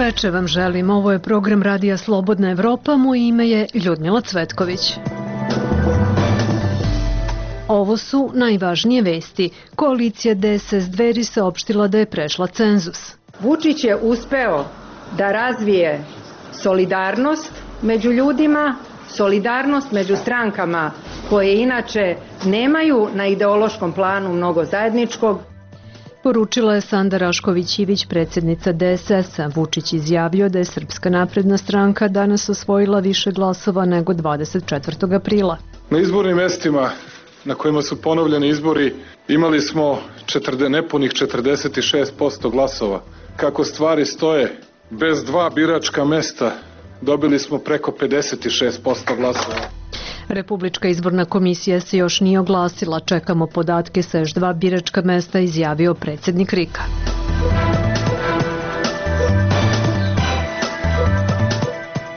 veče vam želim. Ovo je program Radija Slobodna Evropa. Moje ime je Ljudmila Cvetković. Ovo su najvažnije vesti. Koalicija DSS Dveri saopštila da je prešla cenzus. Vučić je uspeo da razvije solidarnost među ljudima, solidarnost među strankama koje inače nemaju na ideološkom planu mnogo zajedničkog. Poručila je Sanda Rašković-Ivić, predsjednica DSS-a. Vučić izjavio da je Srpska napredna stranka danas osvojila više glasova nego 24. aprila. Na izbornim mestima na kojima su ponovljeni izbori imali smo nepunih 46% glasova. Kako stvari stoje, bez 2 biračka mesta dobili smo preko 56% glasova. Republička izborna komisija se još nije oglasila. Čekamo podatke sa još 2 biračka mesta, izjavio predsjednik RIK-a.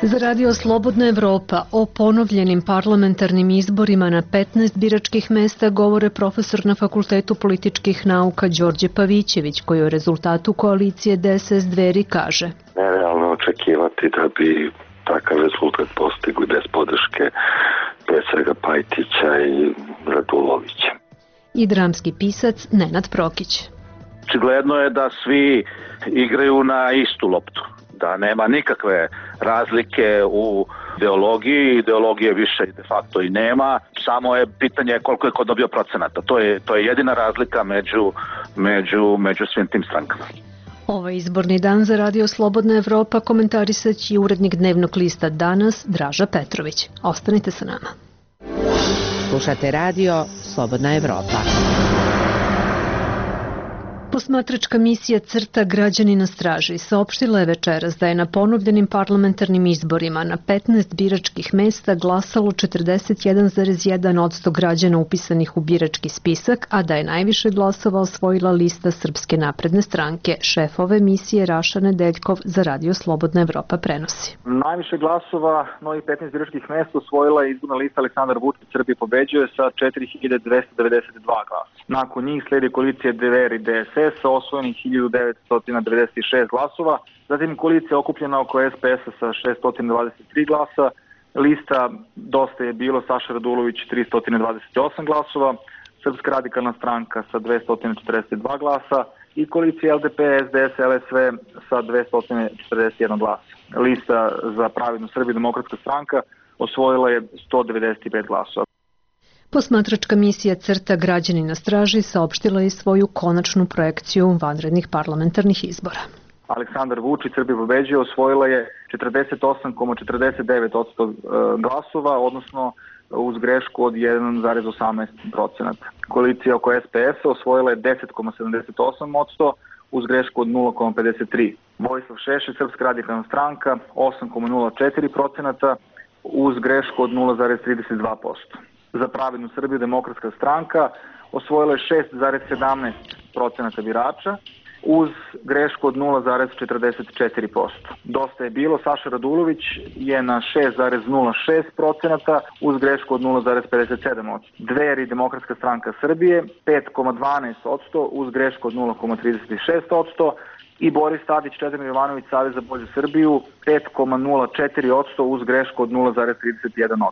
Za Radio Slobodna Evropa o ponovljenim parlamentarnim izborima na 15 biračkih mesta govore profesor na Fakultetu političkih nauka Đorđe Pavićević, koji o rezultatu koalicije DSS Dveri kaže: Nerealno očekivati da bi takav rezultat postigli bez podrške pre svega Pajtića i Radulovića. I dramski pisac Nenad Prokić. Očigledno je da svi igraju na istu loptu, da nema nikakve razlike u ideologiji, ideologije više de facto i nema, samo je pitanje koliko je ko dobio procenata. To je jedina razlika među svim tim strankama. Ovaj izborni dan za Radio Slobodna Evropa komentarisat će urednik dnevnog lista Danas Draža Petrović. Ostanite sa nama. Slušate Radio Slobodna Evropa. Posmatračka misija CRTA Građani na straži saopštila je večeras da je na ponovljenim parlamentarnim izborima na 15 biračkih mesta glasalo 41,1% građana upisanih u birački spisak, a da je najviše glasova osvojila lista Srpske napredne stranke. Šef ove misije Raša Nedeljkov za Radio Slobodna Evropa prenosi. Najviše glasova, novih 15 biračkih mesta, osvojila je izborna lista Aleksandar Vučić Srbije pobeđuje sa 4292 glasa. Nakon njih sledi koalicija Dveri DSS sa osvojenih 1996 glasova, zatim koalicija okupljena oko SPS-a sa 623 glasa, lista Dosta je bilo Saša Radulović 328 glasova, Srpska radikalna stranka sa 242 glasa i koalicija LDP, SDS, LSV sa 241 glasa. Lista za Pravednu Srbiju demokratska stranka osvojila je 195 glasova. Posmatračka misija CRTA Građani na straži saopštila je svoju konačnu projekciju vanrednih parlamentarnih izbora. Aleksandar Vučić Srbije pobeđuje osvojila je 48,49% glasova, odnosno uz grešku od 1,18%. Koalicija oko SPS-a osvojila je 10,78% uz grešku od 0,53%. Vojislav Šešelj, Srpska radikalna stranka 8,04% uz grešku od 0,32%. Za Pravednu Srbiju demokratska stranka osvojila je 6,17% birača uz grešku od 0,44%. Dosta je bilo Saša Radulović je na 6,06% uz grešku od 0,57%. Dveri demokratska stranka Srbije 5,12% uz grešku od 0,36%. I Boris Tadić, Čedomir Jovanović, Savez za bolju Srbiju 5,04% uz grešku od 0,31%.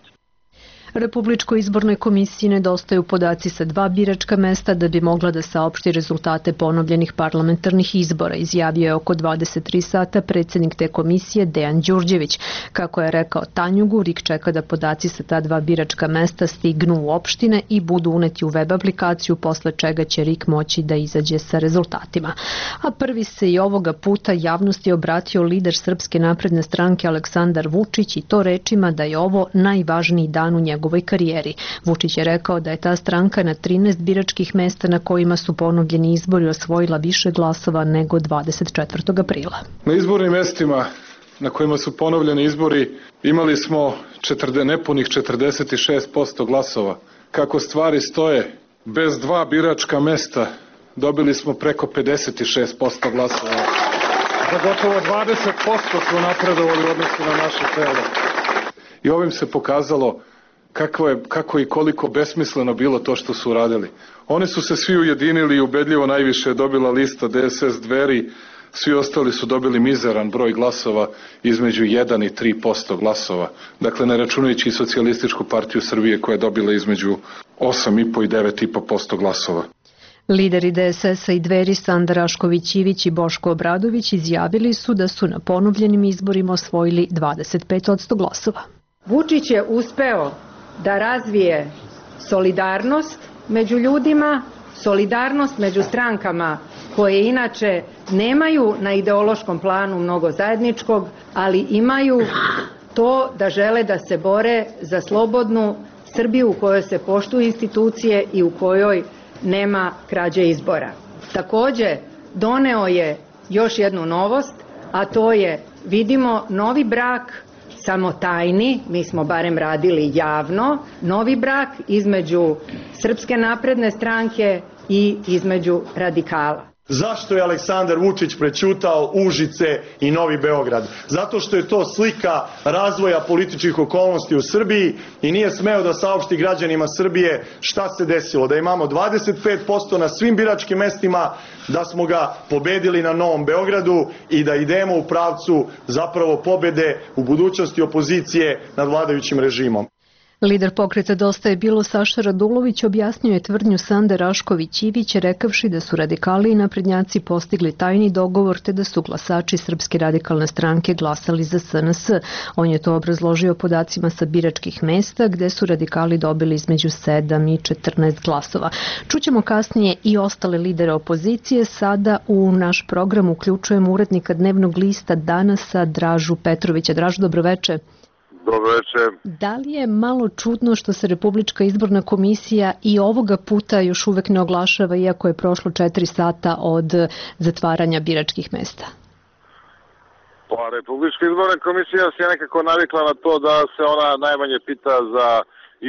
Republičkoj izbornoj komisiji nedostaju podaci sa 2 biračka mesta da bi mogla da saopšti rezultate ponovljenih parlamentarnih izbora, izjavio je oko 23 sata predsjednik te komisije Dejan Đurđević. Kako je rekao Tanjugu, RIK čeka da podaci sa ta 2 biračka mesta stignu u opštine i budu uneti u web aplikaciju, posle čega će RIK moći da izađe sa rezultatima. A prvi se i ovoga puta javnosti obratio lider Srpske napredne stranke Aleksandar Vučić i to rečima da je ovo najvažniji dan u njegovoj karijeri. Vučić je rekao da je ta stranka na 13 biračkih mesta na kojima su ponovljeni izbori osvojila više glasova nego 24. aprila. Na izbornim mestima na kojima su ponovljeni izbori imali smo nepunih 46% glasova. Kako stvari stoje, bez 2 biračka mesta dobili smo preko 56% glasova. Za gotovo 20% smo napredovali u odnosu na naše telo. I ovim se pokazalo kako i koliko besmisleno bilo to što su uradili. Oni su se svi ujedinili i ubedljivo najviše je dobila lista DSS Dveri Svi ostali su dobili mizeran broj glasova između 1 i 3% glasova. Dakle, ne računajući Socijalističku partiju Srbije koja je dobila između 8,5 i 9,5% glasova. Lideri DSS-a i Dveri Sanda Rašković-Ivić i Boško Obradović izjavili su da su na ponovljenim izborima osvojili 25% glasova. Vučić je uspeo da razvije solidarnost među ljudima, solidarnost među strankama koje inače nemaju na ideološkom planu mnogo zajedničkog, ali imaju to da žele da se bore za slobodnu Srbiju u kojoj se poštuju institucije i u kojoj nema krađe izbora. Takođe, doneo je još jednu novost, a to je, vidimo, novi brak, samo tajni, mi smo barem radili javno, novi brak između Srpske napredne stranke i između radikala. Zašto je Aleksandar Vučić prećutao Užice i Novi Beograd? Zato što je to slika razvoja političkih okolnosti u Srbiji i nije smeo da saopšti građanima Srbije šta se desilo. Da imamo 25% na svim biračkim mestima, da smo ga pobedili na Novom Beogradu i da idemo u pravcu zapravo pobede u budućnosti opozicije nad vladajućim režimom. Lider pokreta Dosta je bilo Saša Radulović objasnio je tvrdnju Sande Rašković-Ivić rekavši da su radikali i naprednjaci postigli tajni dogovor te da su glasači Srpske radikalne stranke glasali za SNS. On je to obrazložio podacima sa biračkih mesta gde su radikali dobili između 7 i 14 glasova. Čućemo kasnije i ostale lidere opozicije. Sada u naš program uključujemo urednika Dnevnog lista Danasa Dražu Petrovića. Dražu, dobroveče. Dobroveče. Da li je malo čudno što se Republička izborna komisija i ovoga puta još uvek ne oglašava, iako je prošlo 4 sata od zatvaranja biračkih mesta? Pa, Republička izborna komisija se nekako navikla na to da se ona najmanje pita za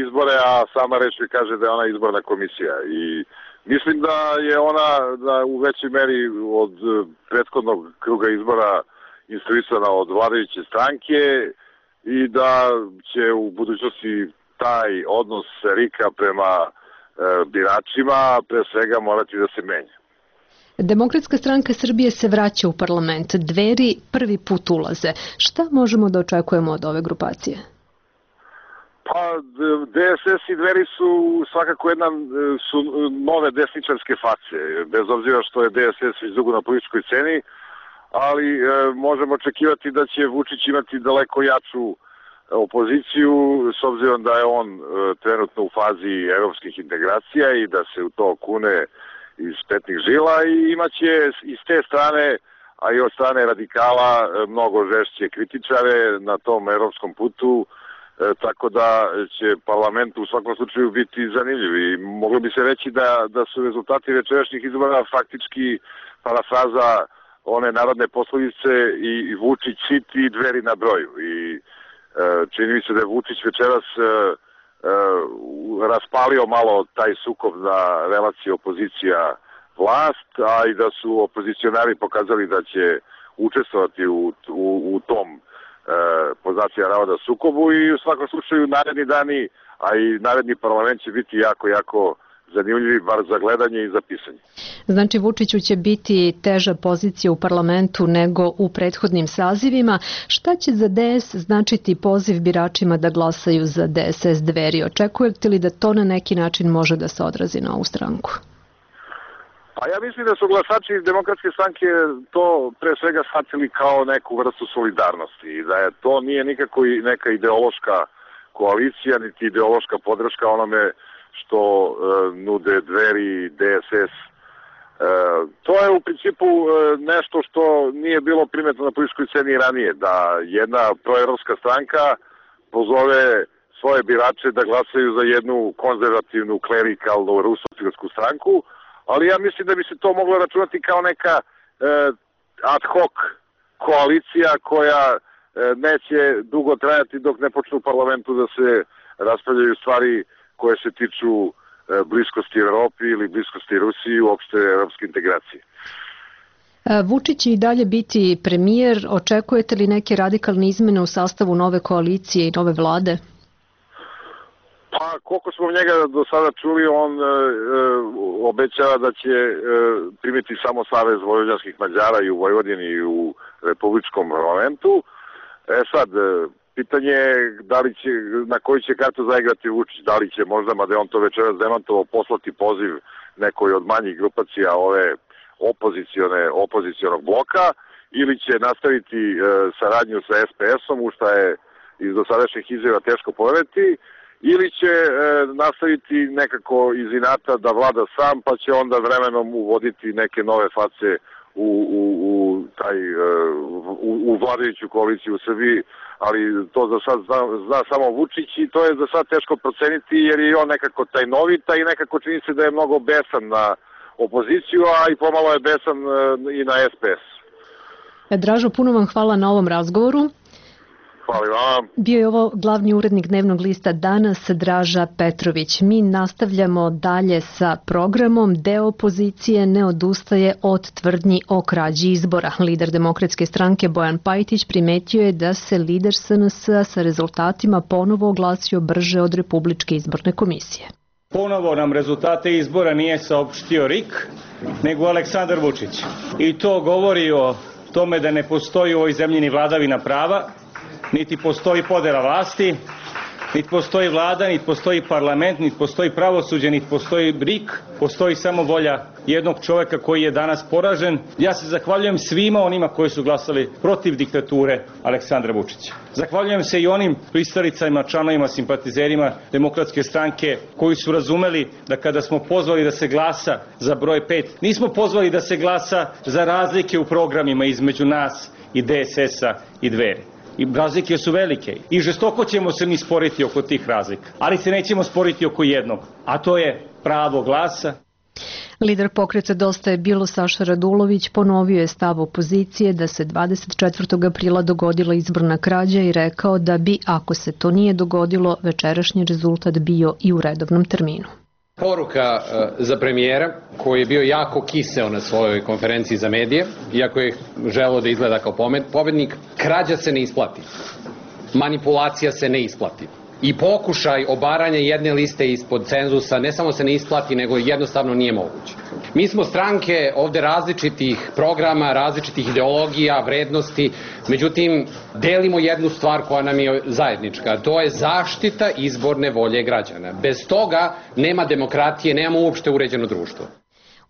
izbore, a sama reč mi kaže da je ona izborna komisija. I mislim da je ona u većoj meri od prethodnog kruga izbora instruisana od vladajuće stranke, i da će u budućnosti taj odnos RIK-a prema biračima pre svega morati da se menja. Demokratska stranka Srbije se vraća u parlament. Dveri prvi put ulaze. Šta možemo da očekujemo od ove grupacije? Pa, DSS i Dveri su svakako su nove desničarske face, bez obzira što je DSS već dugo na političkoj sceni, ali možemo očekivati da će Vučić imati daleko jaču opoziciju, s obzirom da je on trenutno u fazi evropskih integracija i da se u to kune iz petnih žila i imaće iz te strane, a i od strane radikala, mnogo žešće kritičare na tom evropskom putu, tako da će parlament u svakom slučaju biti zanimljiv. I moglo bi se reći da su rezultati večerašnjih izbora faktički parafraza one narodne poslovice i Vučić sit i Dveri na broju. I čini mi se da je Vučić večeras raspalio malo taj sukob na relaciji opozicija-vlast, a i da su opozicionari pokazali da će učestvovati u tom poznacija navoda sukobu i u svakom slučaju naredni dani, a i naredni parlament će biti jako zanimljivi, bar za gledanje i za pisanje. Znači, Vučiću će biti teža pozicija u parlamentu nego u prethodnim sazivima. Šta će za DS značiti poziv biračima da glasaju za DSS Dveri? Očekujete li da to na neki način može da se odrazi na ovu stranku? Pa ja mislim da su glasači Demokratske stranke to pre svega shvatili kao neku vrstu solidarnosti i da je to nije nikako neka ideološka koalicija, niti ideološka podrška onome što nude Dveri i DSS. To je u principu nešto što nije bilo primetno na političkoj sceni ranije, da jedna proevropska stranka pozove svoje birače da glasaju za jednu konzervativnu, klerikalnu, rusofilsku stranku, ali ja mislim da bi se to moglo računati kao neka ad hoc koalicija koja neće dugo trajati dok ne počnu u parlamentu da se raspravljaju stvari koje se tiču bliskosti Evropi ili bliskosti Rusiji i uopšte evropske integracije. Vučić će i dalje biti premijer. Očekujete li neke radikalne izmene u sastavu nove koalicije i nove vlade? Pa koliko smo njega do sada čuli, on obećava da će primiti samo Savez vojvođanskih Mađara i u Vojvodini i u Republičkom parlamentu. Sad, pitanje je na koji će kartu zaigrati Vučić, da li će možda, mada je on to večeras demantovao, poslati poziv nekoj od manjih grupacija ove opozicionog bloka, ili će nastaviti saradnju sa SPS-om, u šta je iz dosadašnjih izjava teško poveriti, ili će nastaviti nekako iz inata da vlada sam, pa će onda vremenom uvoditi neke nove face u vladajuću koaliciju u Srbiji, ali to za sad zna samo Vučić i to je za sad teško proceniti jer je on nekako tajnovita i nekako čini se da je mnogo besan na opoziciju, a i pomalo je besan i na SPS. Dražo, puno vam hvala na ovom razgovoru. Hvala vam. Bio je ovo glavni urednik dnevnog lista Danas, Draža Petrović. Mi nastavljamo dalje sa programom. Deo opozicije ne odustaje od tvrdnji o krađi izbora. Lider Demokratske stranke Bojan Pajtić primetio je da se lider SNS-a sa rezultatima ponovo oglasio brže od Republičke izborne komisije. Ponovo nam rezultate izbora nije saopštio RIK, nego Aleksandar Vučić. I to govori o tome da ne postoji u ovoj zemlji ni vladavina prava, niti postoji podela vlasti, niti postoji vlada, niti postoji parlament, niti postoji pravosuđe, niti postoji RIK, postoji samo volja jednog čoveka koji je danas poražen. Ja se zahvaljujem svima onima koji su glasali protiv diktature Aleksandra Vučića. Zahvaljujem se i onim pristalicama, članovima, simpatizerima Demokratske stranke koji su razumeli da kada smo pozvali da se glasa za broj 5, nismo pozvali da se glasa za razlike u programima između nas i DSS-a i Dveri. I razlike su velike i žestoko ćemo se mi sporiti oko tih razlika, ali se nećemo sporiti oko jednog, a to je pravo glasa. Lider pokreta Dosta je bilo Saša Radulović ponovio je stav opozicije da se 24. aprila dogodila izborna krađa i rekao da bi, ako se to nije dogodilo, večerašnji rezultat bio i u redovnom terminu. Poruka za premijera koji je bio jako kiseo na svojoj konferenciji za medije, iako je želeo da izgleda kao pobednik, krađa se ne isplati, manipulacija se ne isplati. I pokušaj obaranja jedne liste ispod cenzusa ne samo se ne isplati, nego jednostavno nije moguće. Mi smo stranke ovde različitih programa, različitih ideologija, vrednosti, međutim, delimo jednu stvar koja nam je zajednička, to je zaštita izborne volje građana. Bez toga nema demokratije, nemamo uopšte uređeno društvo.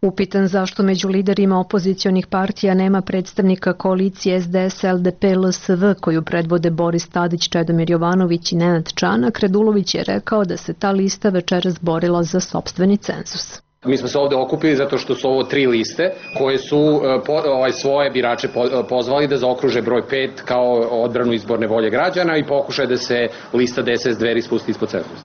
Upitan zašto među liderima opozicionih partija nema predstavnika koalicije SDS, LDP, LSV koju predvode Boris Tadić, Čedomir Jovanović i Nenad Čanak, Radulović je rekao da se ta lista večeras borila za sopstveni cenzus. Mi smo se ovde okupili zato što su ovo 3 liste koje su svoje birače pozvali da zaokruže broj 5 kao odbranu izborne volje građana i pokušaj da se lista DSS Dveri spusti ispod cenzusa.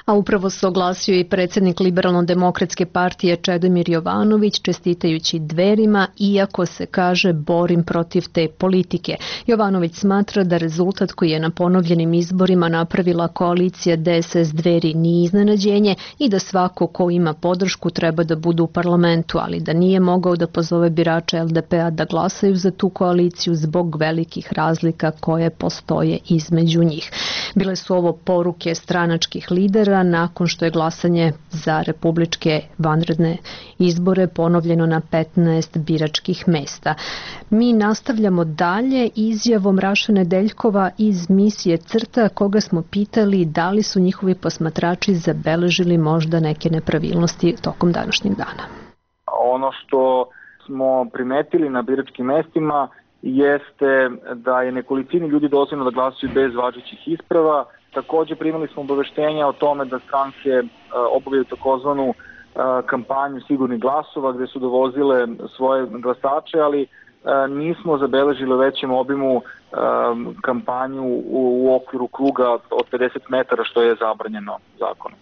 A upravo se oglasio i predsjednik Liberalno-demokratske partije Čedomir Jovanović čestitajući Dverima, iako se kaže borim protiv te politike. Jovanović smatra da rezultat koji je na ponovljenim izborima napravila koalicija DSS Dveri nije iznenađenje i da svako ko ima podršku treba da bude u parlamentu, ali da nije mogao da pozove birače LDP-a da glasaju za tu koaliciju zbog velikih razlika koje postoje između njih. Bile su ovo poruke stranačkih lidera nakon što je glasanje za republičke vanredne izbore ponovljeno na 15 biračkih mesta. Mi nastavljamo dalje izjavom Raše Nedeljkova iz misije CRTA, koga smo pitali da li su njihovi posmatrači zabeležili možda neke nepravilnosti tokom današnjeg dana. Ono što smo primetili na biračkim mestima jeste da je nekolicini ljudi dozvoljeno da glasuju bez važećih isprava. Takođe primili smo obaveštenja o tome da stranke obavljaju takozvanu kampanju sigurnih glasova gde su dovozile svoje glasače, ali nismo zabeležili u većem obimu kampanju u okviru kruga od 50 metara što je zabranjeno zakonom.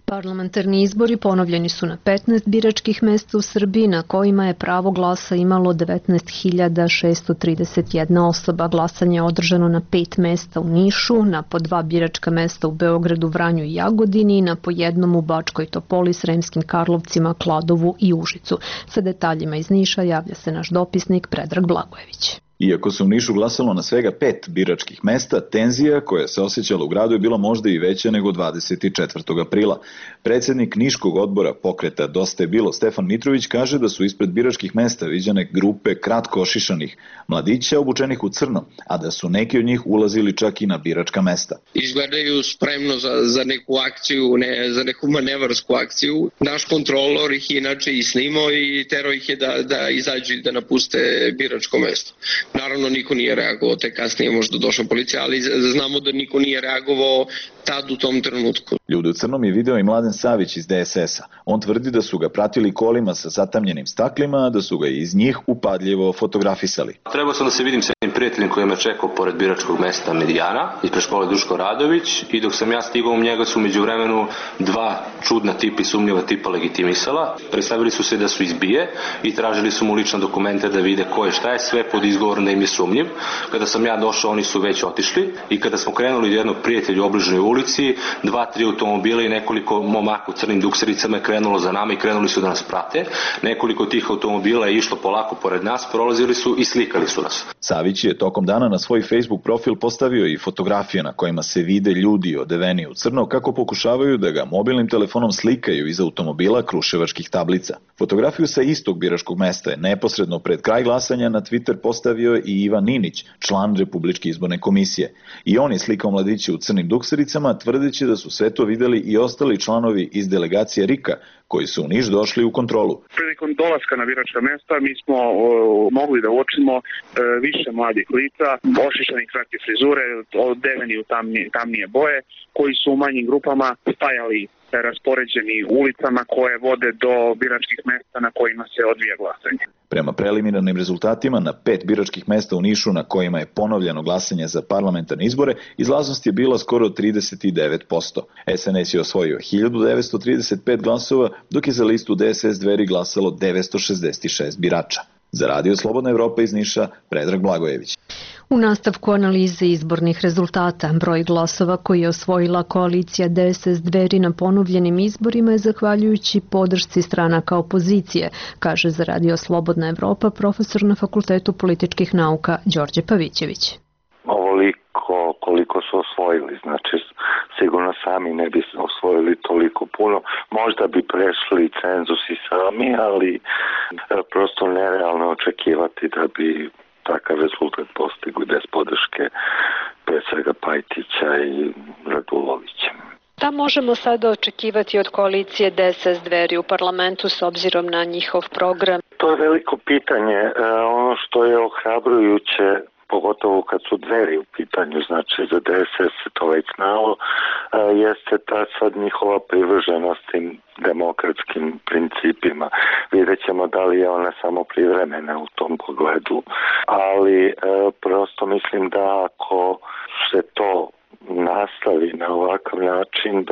Parlamentarni izbori ponovljeni su na 15 biračkih mesta u Srbiji na kojima je pravo glasa imalo 19.631 osoba. Glasanje je održano na 5 mesta u Nišu, na po 2 biračka mesta u Beogradu, Vranju i Jagodini i na po jednom u Bačkoj Topoli, Sremskim Karlovcima, Kladovu i Užicu. Sa detaljima iz Niša javlja se naš dopisnik Predrag Blagojević. Iako se u Nišu glasalo na svega 5 biračkih mesta, tenzija koja se osjećala u gradu je bila možda i veća nego 24. aprila. Predsednik Niškog odbora pokreta Dosta je bilo Stefan Mitrović kaže da su ispred biračkih mesta viđene grupe kratko ošišanih mladića obučenih u crno, a da su neki od njih ulazili čak i na biračka mesta. Izgledaju spremno za neku akciju, za neku manevarsku akciju. Naš kontrolor ih inače i snimao i terao ih je da izađu i da napuste biračko mesto. Naravno, niko nije reagovao, te kasnije možda došla policija, ali znamo da niko nije reagovao tad u tom trenutku. Ljude u crnom je video i Mladen Savić iz DSS-a. On tvrdi da su ga pratili kolima sa zatamljenim staklima, da su ga iz njih upadljivo fotografisali. Trebao sam da se vidim sa jednim prijateljem koji me čekao pored biračkog mesta Medijana, ispred škole Duško Radović, i dok sam ja stigao u njega su međuvremenu dva čudna tipa i sumnjiva tipa legitimisala. Predstavili su se da su iz BIA i tražili su mu lične dokumente da vide ko je šta je, sve pod izgovorom da im je sumnjiv. Kada sam ja došao, oni su već otišli i kada smo krenuli do jednog prijatelja u obližnjoj ulici, 2-3 automobila i nekoliko momaka u crnim duksericama je krenulo za nama i krenuli su da nas prate. Nekoliko tih automobila je išlo polako pored nas, prolazili su i slikali su nas. Savić je tokom dana na svoj Facebook profil postavio i fotografije na kojima se vide ljudi odeveni u crno kako pokušavaju da ga mobilnim telefonom slikaju iz automobila kruševačkih tablica. Fotografiju sa istog biračkog mesta je neposredno pred kraj glasanja na Twitter postavio i Ivan Ninić, član Republičke izborne komisije. I on je slikao mladiće u crnim duksericama, tvrdeći da su sve to videli i ostali članovi iz delegacije RIK-a, koji su u Niš došli u kontrolu. Prilikom dolaska na biračka mesta mi smo mogli da uočimo više mladih lica, ošišanih kratke frizure, odeveni u tamnije boje, koji su u manjim grupama stajali raspoređeni ulicama koje vode do biračkih mesta na kojima se odvija glasanje. Prema preliminarnim rezultatima na 5 biračkih mesta u Nišu na kojima je ponovljeno glasanje za parlamentarne izbore, izlaznost je bila skoro 39%. SNS je osvojio 1935 glasova, dok je za listu DSS Dveri glasalo 966 birača. Za Radio Slobodna Evropa iz Niša, Predrag Blagojević. U nastavku analize izbornih rezultata, broj glasova koji je osvojila koalicija DSS Dveri na ponovljenim izborima je zahvaljujući podršci stranaka opozicije, kaže za Radio Slobodna Evropa profesor na Fakultetu političkih nauka Đorđe Pavićević. Ovoliko koliko su osvojili, znači sigurno sami ne bi osvojili toliko puno, možda bi prešli cenzus i sami, ali prosto nerealno očekivati da bi takav rezultat postigli bez podrške pre svega Pajtića i Radulovića. Da možemo sada očekivati od koalicije DSS Dveri u parlamentu s obzirom na njihov program? To je veliko pitanje. Ono što je ohrabrujuće, pogotovo kad su Dveri u pitanju, znači za DSS se to već znalo, jeste ta sad njihova privrženost tim demokratskim principima. Vidjet ćemo da li je ona samo privremena u tom pogledu, ali prosto mislim da ako se to nastavi na ovakav način,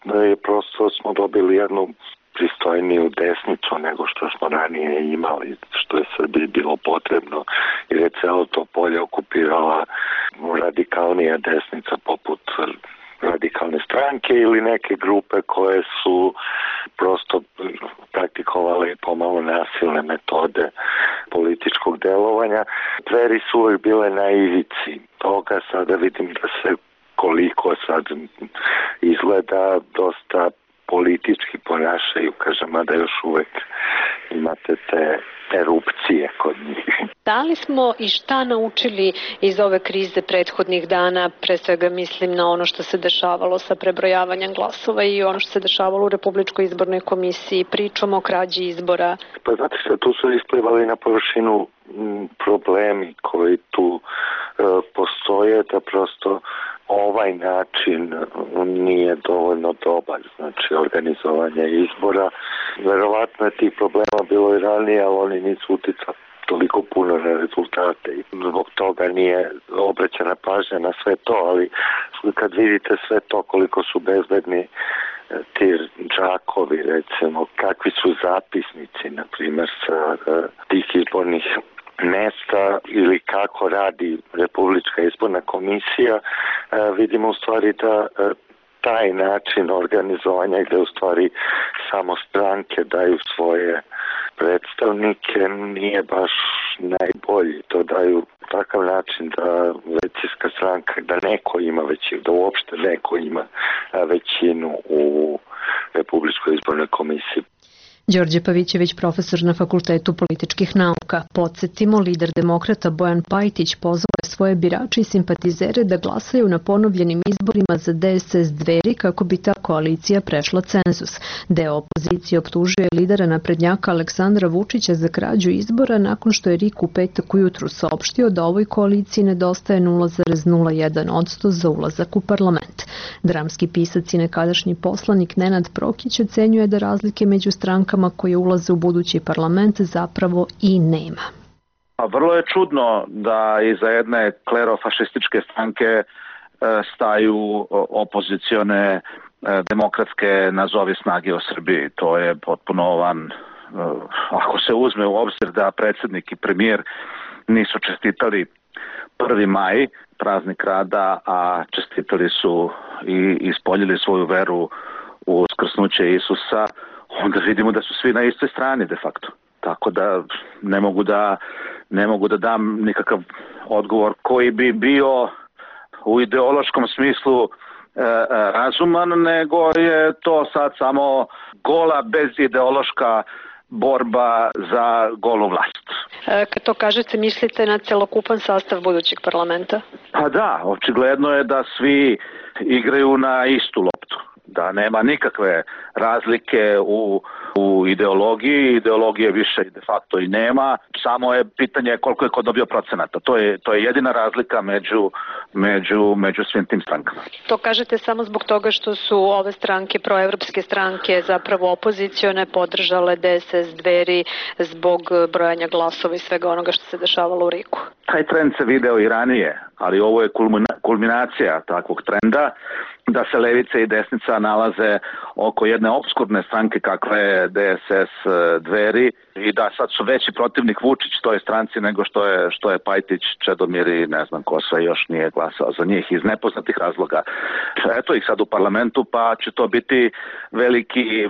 da je prosto smo dobili jednu pristojniju desnicu nego što smo ranije imali, što je Srbiji bilo potrebno, jer je celo to polje okupirala radikalnija desnica poput radikalne stranke ili neke grupe koje su prosto praktikovale pomalo nasilne metode političkog delovanja. Dveri su uvek bile na ivici toga, sada vidim da se koliko sad izgleda dosta politički ponašaju, kažem, a da još uvek imate te erupcije kod njih. Da li smo i šta naučili iz ove krize prethodnih dana, pre svega mislim na ono što se dešavalo sa prebrojavanjem glasova i ono što se dešavalo u Republičkoj izbornoj komisiji, pričom o krađi izbora? Pa znate što, tu su isplivali na površinu problemi koji tu postoje, da prosto ovaj način nije dovoljno dobar, znači organizovanje izbora. Verovatno je tih problema bilo i ranije, ali oni nisu uticali toliko puno na rezultate i zbog toga nije obraćena pažnja na sve to, ali kad vidite sve to koliko su bezbedni ti džakovi, recimo, kakvi su zapisnici, na primjer, sa tih izbornih mesta ili kako radi Republička izborna komisija, vidimo u stvari da taj način organizovanja gde u stvari samo stranke daju svoje predstavnike nije baš najbolji. To daju takav način da većinska stranka, da neko ima većinu, da uopšte neko ima većinu u Republičkoj izbornoj komisiji. Đorđe Pavićević, profesor na Fakultetu političkih nauka. Podsjetimo, lider demokrata Bojan Pajtić pozvao je svoje birače i simpatizere da glasaju na ponovljenim izborima za DSS Dveri kako bi ta koalicija prešla cenzus. Deo opozicije optužuje lidera naprednjaka Aleksandra Vučića za krađu izbora nakon što je RIK u petak ujutru saopštio da ovoj koaliciji nedostaje 0,01% za ulazak u parlament. Dramski pisac i nekadašnji poslanik Nenad Prokić ocenjuje da razlike među strankama koje ulaze u budući parlament zapravo i nema. Vrlo je čudno da iza jedne klerofašističke stranke staju opozicione demokratske nazovi snage u Srbiji. To je potpuno ako se uzme u obzir da predsjednik i premijer nisu čestitali 1. maj, praznik rada, a čestitali su i ispoljili svoju veru u uskrsnuće Isusa, onda vidimo da su svi na istoj strani de facto. Tako da ne mogu da dam nikakav odgovor koji bi bio u ideološkom smislu razuman, nego je to sad samo gola bezideološka borba za golu vlast. Kad to kažete, mislite na celokupan sastav budućeg parlamenta? Pa da, očigledno je da svi igraju na istu loptu. Da nema nikakve razlike u ideologije više de facto i nema, samo je pitanje koliko je ko dobio procenata. To je jedina razlika među svim tim strankama. To kažete samo zbog toga što su ove stranke, proevropske stranke, zapravo opozicione, podržale DSS Dveri zbog brojanja glasova i svega onoga što se dešavalo u RIK-u? Taj trend se video i ranije, ali ovo je kulminacija takvog trenda, da se levica i desnica nalaze oko jedne opskurne stranke kakva je DSS Dveri i da sad su veći protivnik Vučić toj stranci nego što je Pajtić, Čedomir i ne znam ko sve još nije glasao za njih iz nepoznatih razloga. Eto ih sad u parlamentu, pa će to biti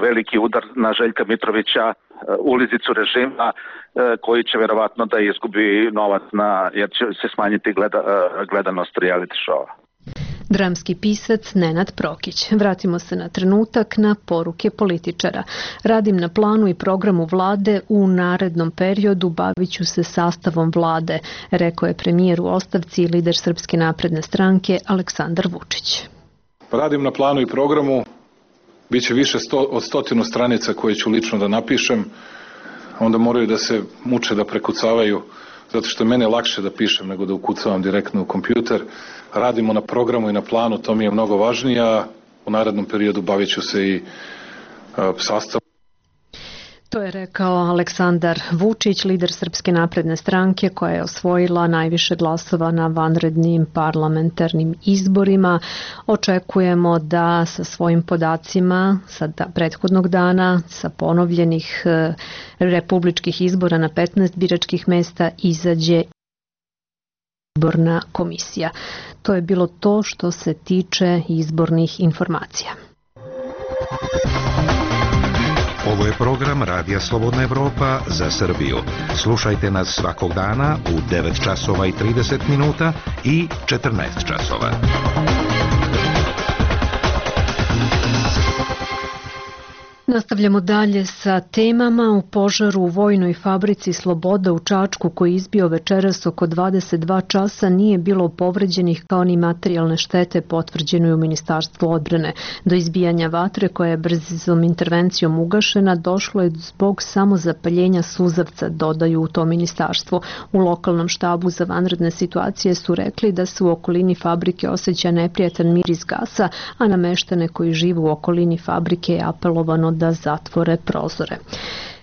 veliki udar na Željka Mitrovića, ulizicu režima, koji će verovatno da izgubi novac jer će se smanjiti gledanost reality showa. Dramski pisac Nenad Prokić. Vratimo se na trenutak na poruke političara. Radim na planu i programu vlade, u narednom periodu bavit ću se sastavom vlade, rekao je premijer u ostavci i lider Srpske napredne stranke Aleksandar Vučić. Radim na planu i programu, bit će više od 100 stranica koje ću lično da napišem, onda moraju da se muče da prekucavaju, zato što je mene lakše da pišem nego da ukucavam direktno u kompjuter. Radimo na programu i na planu, to mi je mnogo važnije, a u narednom periodu bavit ću se i sastavom. To je rekao Aleksandar Vučić, lider Srpske napredne stranke koja je osvojila najviše glasova na vanrednim parlamentarnim izborima. Očekujemo da sa svojim podacima sa prethodnog dana, sa ponovljenih republičkih izbora na 15 biračkih mesta izađe izborna komisija. To je bilo to što se tiče izbornih informacija. Ovo je program Radija Slobodna Evropa za Srbiju. Slušajte nas svakog dana u 9 časova i 30 minuta i 14 časova. Nastavljamo dalje sa temama. U požaru u vojnoj fabrici Sloboda u Čačku koji izbio večeras oko 22 časa nije bilo povređenih kao ni materijalne štete, potvrđeno je u Ministarstvu odbrane. Do izbijanja vatre koja je brzom intervencijom ugašena došlo je zbog samozapaljenja suzavca, dodaju u tom ministarstvu. U lokalnom štabu za vanredne situacije su rekli da se u okolini fabrike osjeća neprijatan miris gasa, a na meštane koji žive u okolini fabrike je apelovano da zatvore prozore.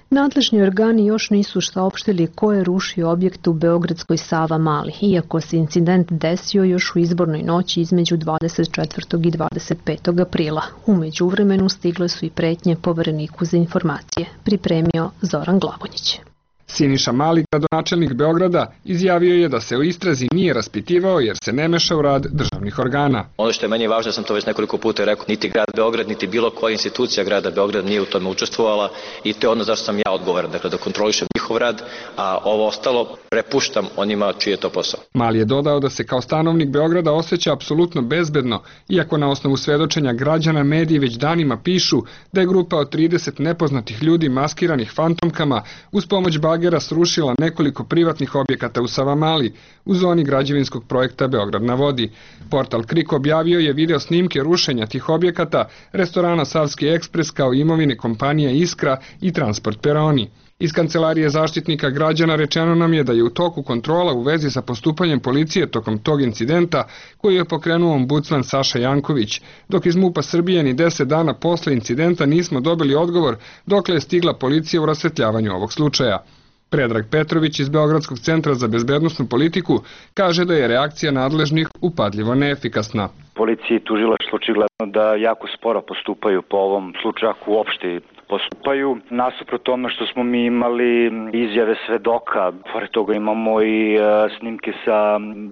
Nadležni organi još nisu saopštili ko je rušio objekt u Beogradskoj Savamali, iako se incident desio još u izbornoj noći između 24. i 25. aprila. U međuvremenu stigle su i pretnje Povereniku za informacije. Pripremio Zoran Glavonjić. S Siniša Mali, gradonačelnik Beograda, izjavio je da se o istrazi nije raspitivao jer se ne meša u rad državnih organa. Ono što je meni važno, sam to već nekoliko puta rekao, niti grad Beograd, niti bilo koja institucija grada Beograda nije u tome učestvovala i to je ono zašto sam ja odgovoran, dakle da kontrolišem njihov rad, a ovo ostalo prepuštam onima čiji je to posao. Mali je dodao da se kao stanovnik Beograda osjeća apsolutno bezbedno, iako na osnovu svedočenja građana mediji već danima pišu da je grupa od 30 nepoznatih ljudi maskiranih fantomkama uz pomoć bagera srušila nekoliko privatnih objekata u Savamali u zoni građevinskog projekta Beograd na vodi. Portal Krik objavio je video snimke rušenja tih objekata, restorana Savski ekspres kao imovine kompanija Iskra i Transport Peroni. Iz Kancelarije zaštitnika građana rečeno nam je da je u toku kontrola u vezi sa postupanjem policije tokom tog incidenta koji je pokrenuo ombudsman Saša Janković, dok iz MUP-a Srbije ni 10 dana posle incidenta nismo dobili odgovor dokle je stigla policija u rasvetljavanju ovog slučaja. Predrag Petrović iz Beogradskog centra za bezbednosnu politiku kaže da je reakcija nadležnih upadljivo neefikasna. Policija i tužilaštvo očigledno da jako sporo postupaju po ovom slučaju, ako uopšte postupaju. Nasuprot tome što smo mi imali izjave svedoka, pored toga imamo i snimke sa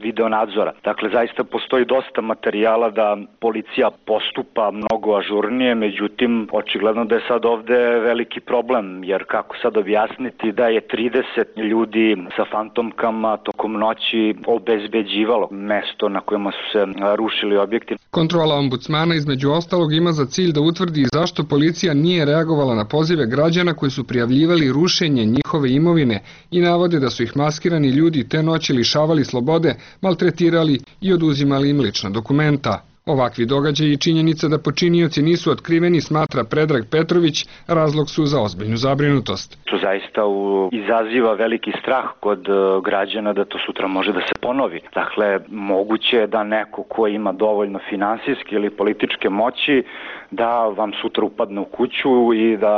videonadzora. Dakle, zaista postoji dosta materijala da policija postupa mnogo ažurnije, međutim, očigledno da je sad ovde veliki problem, jer kako sad objasniti da je 30 ljudi sa fantomkama tokom noći obezbeđivalo mesto na kojima su se rušili objekti. Kontrola ombudsmana između ostalog ima za cilj da utvrdi zašto policija nije reagovala na pozive građana koji su prijavljivali rušenje njihove imovine i navode da su ih maskirani ljudi te noći lišavali slobode, maltretirali i oduzimali im lična dokumenta. Ovakvi događaji i činjenica da počinioci nisu otkriveni, smatra Predrag Petrović, razlog su za ozbiljnu zabrinutost. To zaista izaziva veliki strah kod građana da to sutra može da se ponovi. Dakle, moguće je da neko ko ima dovoljno finansijske ili političke moći da vam sutra upadne u kuću i da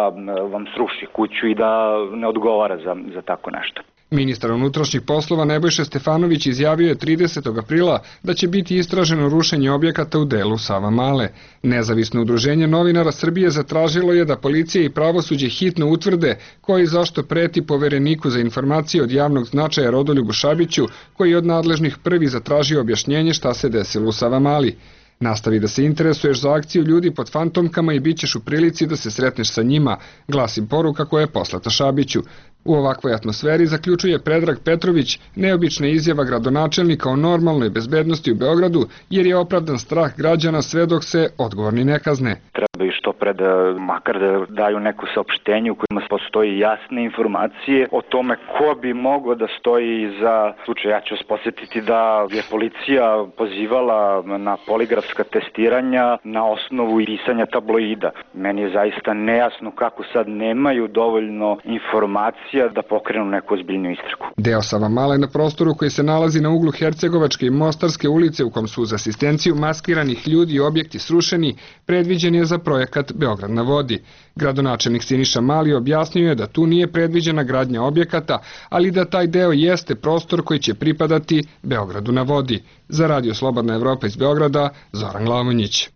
vam sruši kuću i da ne odgovara za tako nešto. Ministar unutrašnjih poslova Nebojša Stefanović izjavio je 30. aprila da će biti istraženo rušenje objekata u delu Savamale. Nezavisno udruženje novinara Srbije zatražilo je da policija i pravosuđe hitno utvrde koji zašto preti povereniku za informacije od javnog značaja Rodoljubu Šabiću, koji je od nadležnih prvi zatražio objašnjenje šta se desilo u Savamali. Nastavi da se interesuješ za akciju ljudi pod fantomkama i bit ćeš u prilici da se sretneš sa njima, glasi poruka koja je poslata Šabiću. U ovakvoj atmosferi, zaključuje Predrag Petrović, neobična izjava gradonačelnika o normalnoj bezbednosti u Beogradu, jer je opravdan strah građana sve dok se odgovorni ne kazne. Treba i što pre makar da daju neko saopštenje u kojima postoji jasne informacije o tome ko bi mogao da stoji iza slučaja. Ja ću vas podsjetiti da je policija pozivala na poligrafska testiranja na osnovu pisanja tabloida. Meni je zaista nejasno kako sad nemaju dovoljno informacija da pokrenu neku ozbiljnu istragu. Deo Savamale na prostoru koji se nalazi na uglu Hercegovačke i Mostarske ulice, u kom su uz asistenciju maskiranih ljudi i objekti srušeni, predviđen je za projekat Beograd na vodi. Gradonačelnik Siniša Mali objasnio je da tu nije predviđena gradnja objekata, ali da taj deo jeste prostor koji će pripadati Beogradu na vodi. Za Radio Slobodna Evropa iz Beograda, Zoran Glavonjić.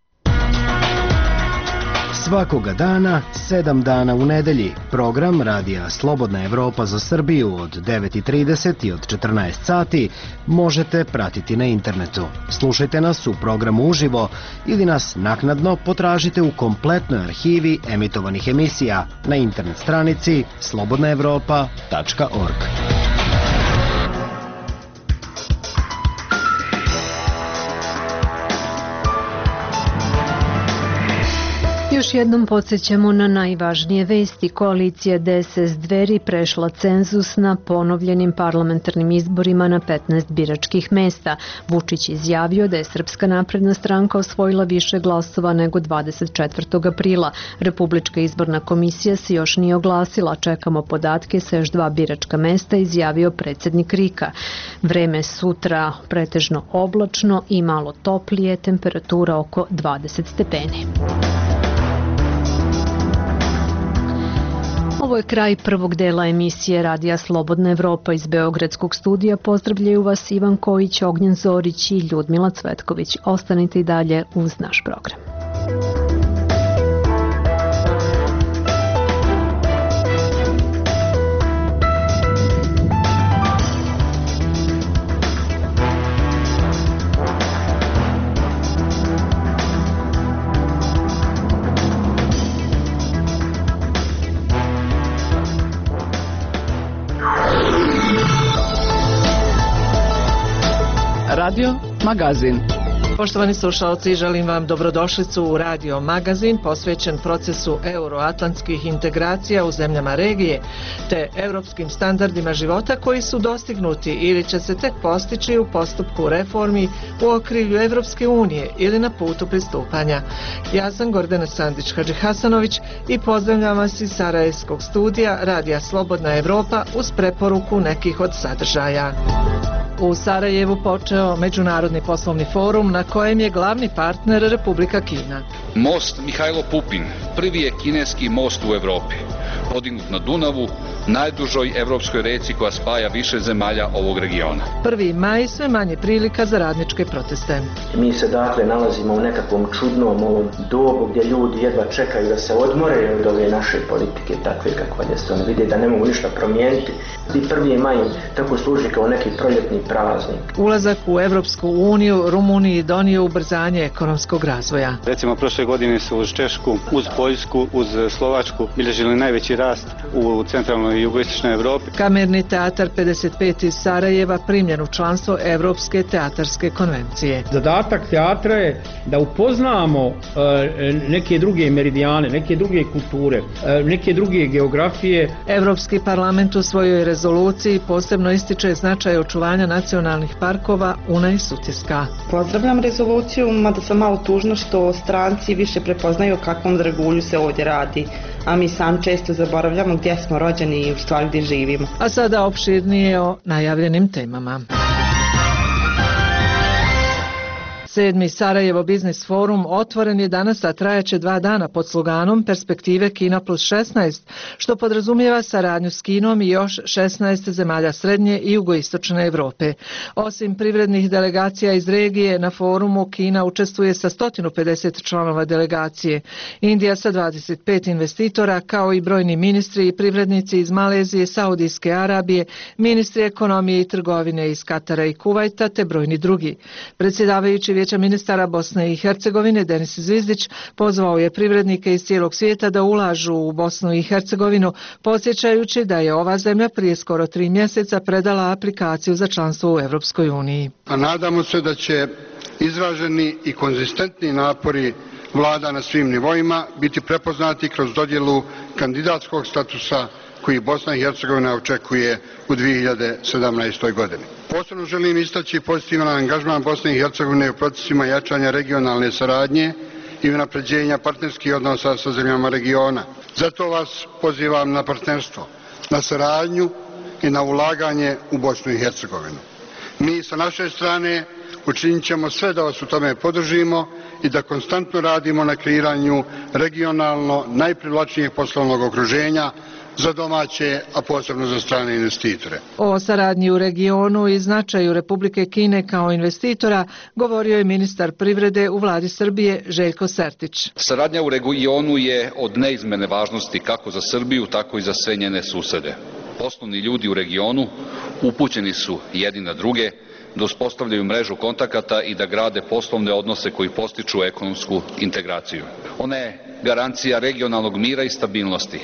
Svakoga dana, 7 dana u nedelji, program Radija Slobodna Evropa za Srbiju od 9:30 i od 14 sati možete pratiti na internetu. Slušajte nas u programu uživo ili nas naknadno potražite u kompletnoj arhivi emitovanih emisija na internet stranici slobodnaevropa.org. Još jednom podsjećamo na najvažnije vesti. Koalicija DSS Dveri prešla cenzus na ponovljenim parlamentarnim izborima na 15 biračkih mesta. Vučić izjavio da je Srpska napredna stranka osvojila više glasova nego 24. aprila. Republička izborna komisija se još nije oglasila. Čekamo podatke sa još 2 biračka mesta, izjavio predsjednik RIK-a. Vreme sutra pretežno oblačno i malo toplije, temperatura oko 20 stepeni. Ovo je kraj prvog dela emisije Radija Slobodna Evropa. Iz Beogradskog studija pozdravljaju vas Ivan Kojić, Ognjen Zorić i Ljudmila Cvetković. Ostanite i dalje uz naš program. Radio Magazin. Poštovani slušalci, želim vam dobrodošlicu u Radio Magazin posvećen procesu euroatlantskih integracija u zemljama regije te europskim standardima života koji su dostignuti ili će se tek postići u postupku reformi u okrilju Evropske unije ili na putu pristupanja. Ja sam Gordana Sandić-Hadžihasanović i pozdravljam vas iz Sarajevskog studija Radija Slobodna Evropa uz preporuku nekih od sadržaja. U Sarajevu počeo Međunarodni poslovni forum na kojem je glavni partner Republika Kina. Most Mihajlo Pupin prvi je kineski most u Evropi, podignut na Dunavu, najdužoj evropskoj reci koja spaja više zemalja ovog regiona. 1. maj sve manje prilika za radničke proteste. Mi se dakle nalazimo u nekakvom čudnom ovom dobu gdje ljudi jedva čekaju da se odmore od ove naše politike takve kakva je. Oni vide da ne mogu ništa promijeniti. I 1. maj tako služi kao neki proljetni praznik. Ulazak u Evropsku uniju Rumuniji donio ubrzanje ekonomskog razvoja. Recimo prošle godine su uz Češku, uz Poljsku, uz Slovačku bilježili najveći rast u centralnoj i jugoistočnoj Evropi. Kamerni teatar 55 iz Sarajeva primljen u članstvo Evropske teatarske konvencije. Zadatak teatra je da upoznamo neke druge meridijane, neke druge kulture, neke druge geografije. Evropski parlament u svojoj rezoluciji posebno ističe značaj očuvanja nacionalnih parkova Una i Sutjeska. Pozdravljam rezoluciju, mada sam malo tužno što stranci više prepoznaju o kakvom dragulju se ovdje radi, a mi sam često zaboravljamo gdje smo rođeni i u stvari gdje živimo. A sada opširnije o najavljenim temama. 7. Sarajevo Biznis forum otvoren je danas, a trajaće 2 dana pod sloganom Perspektive Kina plus 16, što podrazumijeva saradnju s Kinom i još 16 zemalja srednje i jugoistočne Evrope. Osim privrednih delegacija iz regije, na forumu Kina učestvuje sa 150 članova delegacije. Indija sa 25 investitora, kao i brojni ministri i privrednici iz Malezije, Saudijske Arabije, ministri ekonomije i trgovine iz Katara i Kuvajta, te brojni drugi. Predsjedavajući Vijeća ministara Bosne i Hercegovine Denis Zvizdić pozvao je privrednike iz cijelog svijeta da ulažu u Bosnu i Hercegovinu, podsjećajući da je ova zemlja prije skoro 3 mjeseca predala aplikaciju za članstvo u Evropskoj uniji. A nadamo se da će izraženi i konzistentni napori vlada na svim nivoima biti prepoznati kroz dodjelu kandidatskog statusa koji Bosna i Hercegovina očekuje u 2017. godini. Posebno želim istaći pozitivan angažman Bosne i Hercegovine u procesima jačanja regionalne saradnje i unapređenja partnerskih odnosa sa zemljama regiona. Zato vas pozivam na partnerstvo, na saradnju i na ulaganje u Bosnu i Hercegovinu. Mi sa naše strane učinit ćemo sve da vas u tome podržimo i da konstantno radimo na kreiranju regionalno najprivlačnijeg poslovnog okruženja za domaće, a posebno za strane investitore. O saradnji u regionu i značaju Republike Kine kao investitora govorio je ministar privrede u vladi Srbije Željko Sertić. Saradnja u regionu je od neizmjerne važnosti kako za Srbiju, tako i za sve njene susede. Poslovni ljudi u regionu upućeni su jedni na druge, da uspostavljaju mrežu kontakata i da grade poslovne odnose koji postiču ekonomsku integraciju. Ona je garancija regionalnog mira i stabilnosti.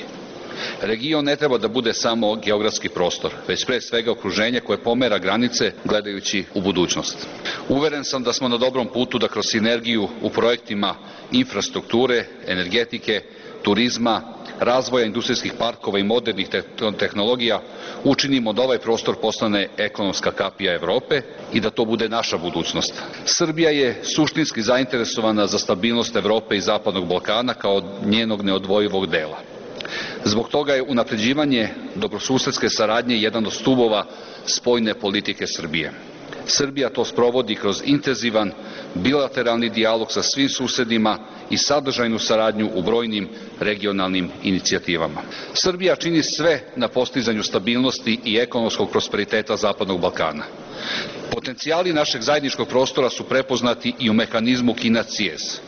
Region ne treba da bude samo geografski prostor, već pre svega okruženje koje pomera granice gledajući u budućnost. Uveren sam da smo na dobrom putu da kroz sinergiju u projektima infrastrukture, energetike, turizma, razvoja industrijskih parkova i modernih tehnologija učinimo da ovaj prostor postane ekonomska kapija Evrope i da to bude naša budućnost. Srbija je suštinski zainteresovana za stabilnost Evrope i Zapadnog Balkana kao njenog neodvojivog dela. Zbog toga je unapređivanje dobrosusedske saradnje jedan od stubova spoljne politike Srbije. Srbija to sprovodi kroz intenzivan bilateralni dijalog sa svim susedima i sadržajnu saradnju u brojnim regionalnim inicijativama. Srbija čini sve na postizanju stabilnosti i ekonomskog prosperiteta Zapadnog Balkana. Potencijali našeg zajedničkog prostora su prepoznati i u mehanizmu Kina-CIES.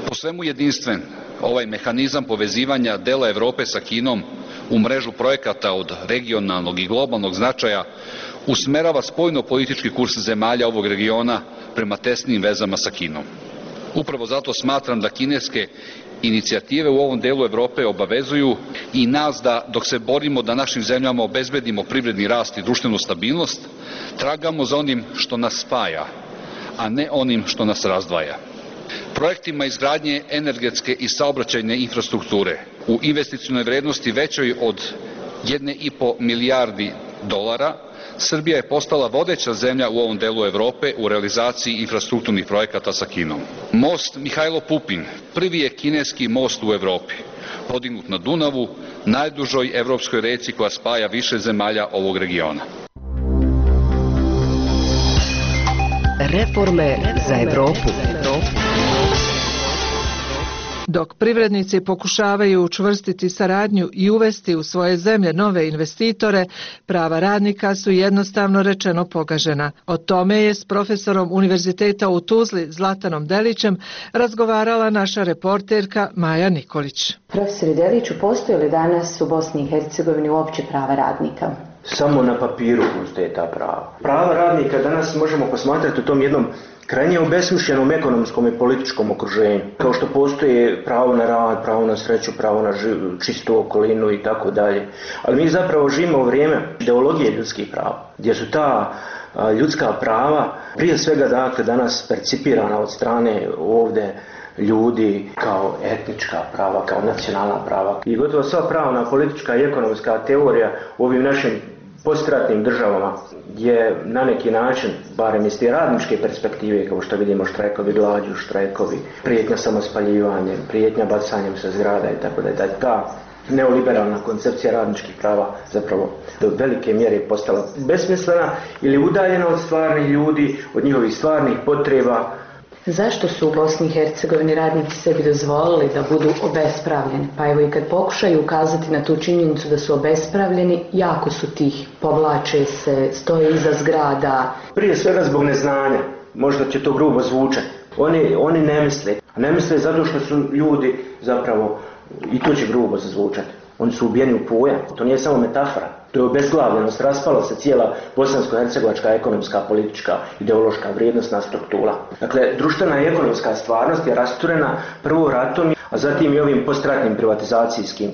Po svemu jedinstven, ovaj mehanizam povezivanja dela Evrope sa Kinom u mrežu projekata od regionalnog i globalnog značaja usmerava spoljno-politički kurs zemalja ovog regiona prema tesnim vezama sa Kinom. Upravo zato smatram da kineske Inicijative u ovom delu Evrope obavezuju i nas da, dok se borimo da našim zemljama obezbedimo privredni rast i društvenu stabilnost, tragamo za onim što nas spaja, a ne onim što nas razdvaja. Projektima izgradnje energetske i saobraćajne infrastrukture u investicionoj vrednosti većoj od 1,5 milijardi dolara, Srbija je postala vodeća zemlja u ovom delu Evrope u realizaciji infrastrukturnih projekata sa Kinom. Most Mihajlo Pupin prvi je kineski most u Evropi, podignut na Dunavu, najdužoj evropskoj reci koja spaja više zemalja ovog regiona. Reforme za Evropu. Dok privrednici pokušavaju učvrstiti saradnju i uvesti u svoje zemlje nove investitore, prava radnika su jednostavno rečeno pogažena. O tome je s profesorom Univerziteta u Tuzli Zlatanom Delićem razgovarala naša reporterka Maja Nikolić. Profesore Deliću, postoje li danas u Bosni i Hercegovini uopće prava radnika? Samo na papiru postoje ta prava. Prava radnika danas možemo posmatrati u tom jednom krajnje obesmišljenom ekonomskom i političkom okruženju. Kao što postoje pravo na rad, pravo na sreću, pravo na čistu okolinu i tako dalje. Ali mi zapravo živimo u vrijeme ideologije ljudskih prava, gdje su ta ljudska prava prije svega dakle danas percipirana od strane ovdje ljudi kao etnička prava, kao nacionalna prava. I gotovo sva pravna, politička i ekonomska teorija u ovim našim postratnim državama je na neki način, barem iz te radničke perspektive, kao što vidimo štrajkovi glađu, štrajkovi, prijetnja samospaljivanjem, prijetnja bacanjem sa zgrada i tako da je ta neoliberalna koncepcija radničkih prava zapravo do velike mjere postala besmislena ili udaljena od stvarnih ljudi, od njihovih stvarnih potreba. Zašto su u Bosni i Hercegovini radnici sebi dozvolili da budu obespravljeni? Pa evo i kad pokušaju ukazati na tu činjenicu da su obespravljeni, jako su tih, povlače se, stoje iza zgrada. Prije svega zbog neznanja, možda će to grubo zvučati. Oni ne misle zato što su ljudi zapravo, i to će grubo zazvučati, oni su ubijeni u pojam, to nije samo metafora. To je obezglavljenost, raspala se cijela bosansko-hercegovačka ekonomska, politička, ideološka vrijednostna struktura. Dakle, društvena i ekonomska stvarnost je rasturena prvo ratom, a zatim i ovim postratnim privatizacijskim,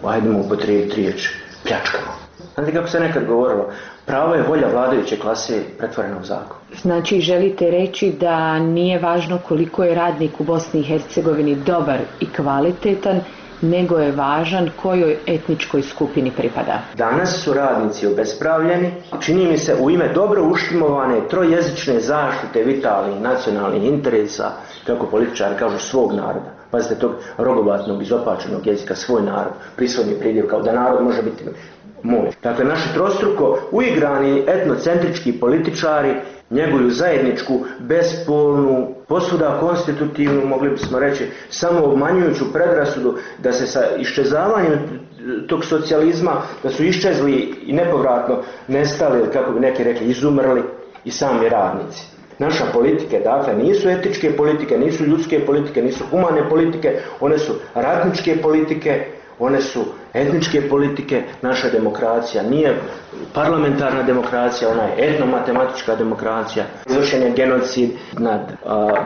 hajdemo upotrijebiti riječ, pljačkama. Znate kako se nekad govorilo, pravo je volja vladajuće klase pretvorena u zakon. Znači, želite reći da nije važno koliko je radnik u Bosni i Hercegovini dobar i kvalitetan, nego je važan kojoj etničkoj skupini pripada. Danas su radnici obespravljeni, čini mi se u ime dobro uštimovane trojezične zaštite vitalnih nacionalnih interesa, kako političari kažu, svog naroda. Pazite, tog rogobatnog, izopačenog jezika, svoj narod, prisvodni pridjev, kao da narod može biti moj. Dakle, naši trostruko uigrani etnocentrički političari njeguju zajedničku, bespolnu, posvuda konstitutivnu, mogli bismo reći, samo obmanjujuću predrasudu da se sa iščezavanjem tog socijalizma, da su iščezli i nepovratno nestali, ili kako bi neki rekli, izumrli i sami radnici. Naša politike, dakle, nisu etičke politike, nisu ljudske politike, nisu humane politike, one su ratničke politike, one su etničke politike. Naša demokracija nije parlamentarna demokracija, ona je etnomatematička demokracija. Izvršen je genocid nad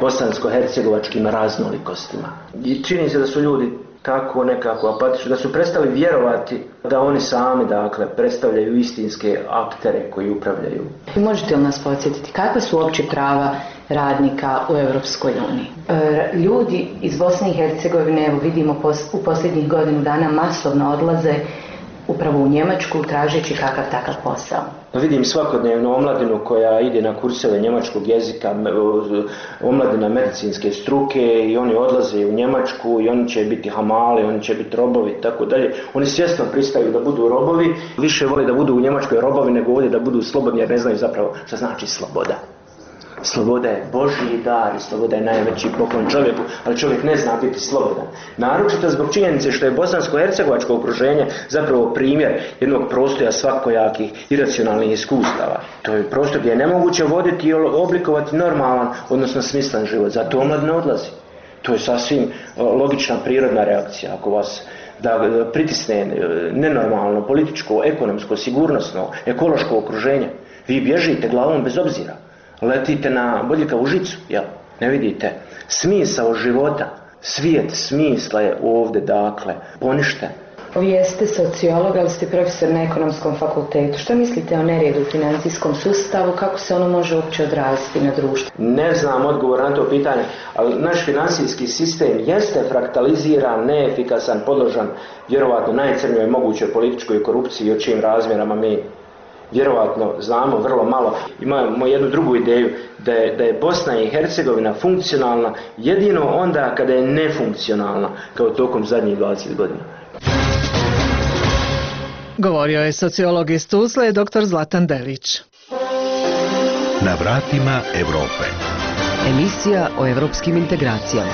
bosansko-hercegovačkim raznolikostima. I čini se da su ljudi tako nekako apatični, da su prestali vjerovati da oni sami, dakle, predstavljaju istinske aktere koji upravljaju. Možete li nas podsjetiti kakva su uopće prava radnika u Europskoj uniji? Ljudi iz Bosne i Hercegovine, evo vidimo u posljednjih godinu dana masovno odlaze upravo u Njemačku tražeći kakav takav posao. Vidim svakodnevno omladinu koja ide na kurseve njemačkog jezika, omladina medicinske struke, i oni odlaze u Njemačku i oni će biti hamali, oni će biti robovi i tako dalje. Oni svjesno pristaju da budu robovi, više vole da budu u Njemačkoj robovi nego ovdje da budu slobodni, jer ne znaju zapravo što znači sloboda. Sloboda je Božji dar i sloboda je najveći poklon čovjeku, ali čovjek ne zna biti slobodan. Naročito zbog činjenice što je bosansko-hercegovačko okruženje zapravo primjer jednog prostora svakojakih iracionalnih iskustava. To je prostor gdje je nemoguće voditi i oblikovati normalan, odnosno smislen život. Zato omladina odlazi. To je sasvim logična prirodna reakcija. Ako vas da pritisne nenormalno političko, ekonomsko, sigurnosno, ekološko okruženje, vi bježite glavom bez obzira. Letite na bodljikavu žicu, jel? Ne vidite smisao života, Svijet smisla je ovdje, dakle, poništen. Vi jeste sociolog, ali ste profesor na ekonomskom fakultetu. Što mislite o neredu u financijskom sustavu? Kako se ono može uopće odraziti na društvo? Ne znam odgovor na to pitanje, ali naš financijski sistem jeste fraktaliziran, neefikasan, podložan vjerovatno najcrnjoj mogućoj političkoj korupciji, o čijim razmjerama mi vjerovatno znamo vrlo malo. Imamo jednu drugu ideju, da je Bosna i Hercegovina funkcionalna jedino onda kada je nefunkcionalna, kao tokom zadnjih 20 godina. Govorio je sociolog iz Tuzle, dr. Zlatan Delić. Na vratima Evrope. Emisija o evropskim integracijama.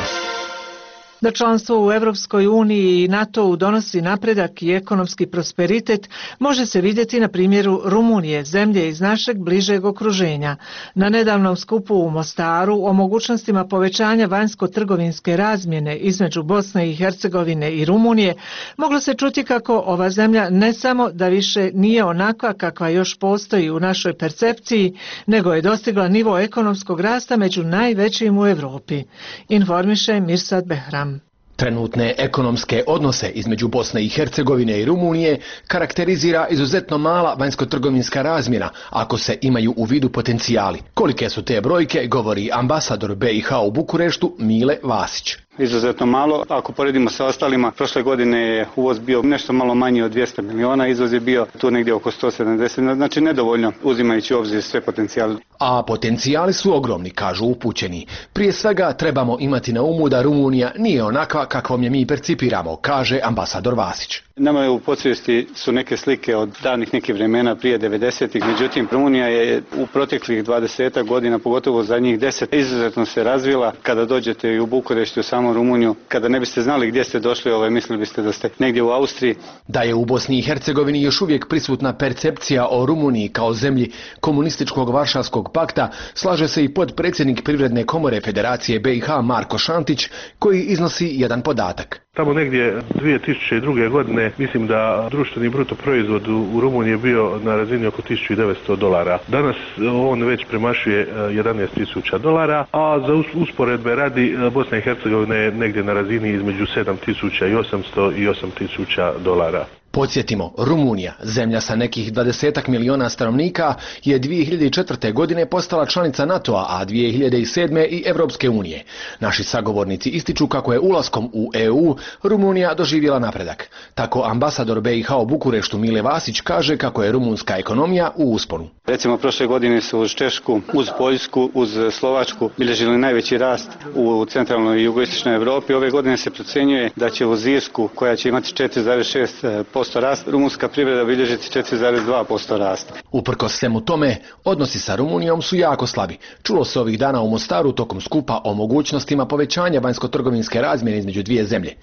Da članstvo u Evropskoj uniji i NATO-u donosi napredak i ekonomski prosperitet može se vidjeti na primjeru Rumunije, zemlje iz našeg bližeg okruženja. Na nedavnom skupu u Mostaru o mogućnostima povećanja vanjsko-trgovinske razmjene između Bosne i Hercegovine i Rumunije moglo se čuti kako ova zemlja ne samo da više nije onakva kakva još postoji u našoj percepciji, nego je dostigla nivo ekonomskog rasta među najvećim u Europi. Informiše Mirsad Behram. Trenutne ekonomske odnose između Bosne i Hercegovine i Rumunije karakterizira izuzetno mala vanjsko-trgovinska razmjena ako se imaju u vidu potencijali. Kolike su te brojke, govori ambasador BiH u Bukureštu Mile Vasić. Izuzetno malo. Ako poredimo sa ostalima, prošle godine je uvoz bio nešto malo manji od 200 miliona, izvoz je bio tu negdje oko 170, znači nedovoljno uzimajući u obzir sve potencijale. A potencijali su ogromni, kažu upućeni. Prije svega trebamo imati na umu da Rumunija nije onakva kakvom je mi percipiramo, kaže ambasador Vasić. Nama je u podsvijesti su neke slike od davnih nekih vremena prije 90-ih, međutim Rumunija je u proteklih 20 godina, pogotovo zadnjih 10, izuzetno se razvila. Kada dođete i u Bukureštu, u samu Rumuniju, kada ne biste znali gdje ste došli, mislili biste da ste negdje u Austriji. Da je u Bosni i Hercegovini još uvijek prisutna percepcija o Rumuniji kao zemlji komunističkog Varšavskog pakta, slaže se i potpredsjednik Privredne komore Federacije BiH Marko Šantić, koji iznosi jedan podatak. Tamo negdje 2002. godine mislim da društveni bruto proizvod u Rumuniji je bio na razini oko $1900. Danas on već premašuje $11.000, a za usporedbe radi Bosna i Hercegovina je negdje na razini između $7.800 i $8.000. Podsjetimo, Rumunija, zemlja sa nekih 20 miliona stanovnika, je 2004. godine postala članica NATO-a, a 2007. i Evropske unije. Naši sagovornici ističu kako je ulaskom u EU Rumunija doživjela napredak. Tako ambasador BiH u Bukureštu Mile Vasić kaže kako je rumunska ekonomija u usponu. Recimo, prošle godine su uz Češku, uz Poljsku, uz Slovačku bilježili najveći rast u centralnoj i jugoistočnoj Europi. Ove godine se procjenjuje da će uz Irsku, koja će imati 4,6% rast, rumunska privreda bilježiti 4,2% rasta. Uprkos svemu tome, odnosi sa Rumunijom su jako slabi. Čulo se ovih dana u Mostaru tokom skupa o mogućnostima povećanja vanjsko-trgovinske razmjene između dvije zemlje.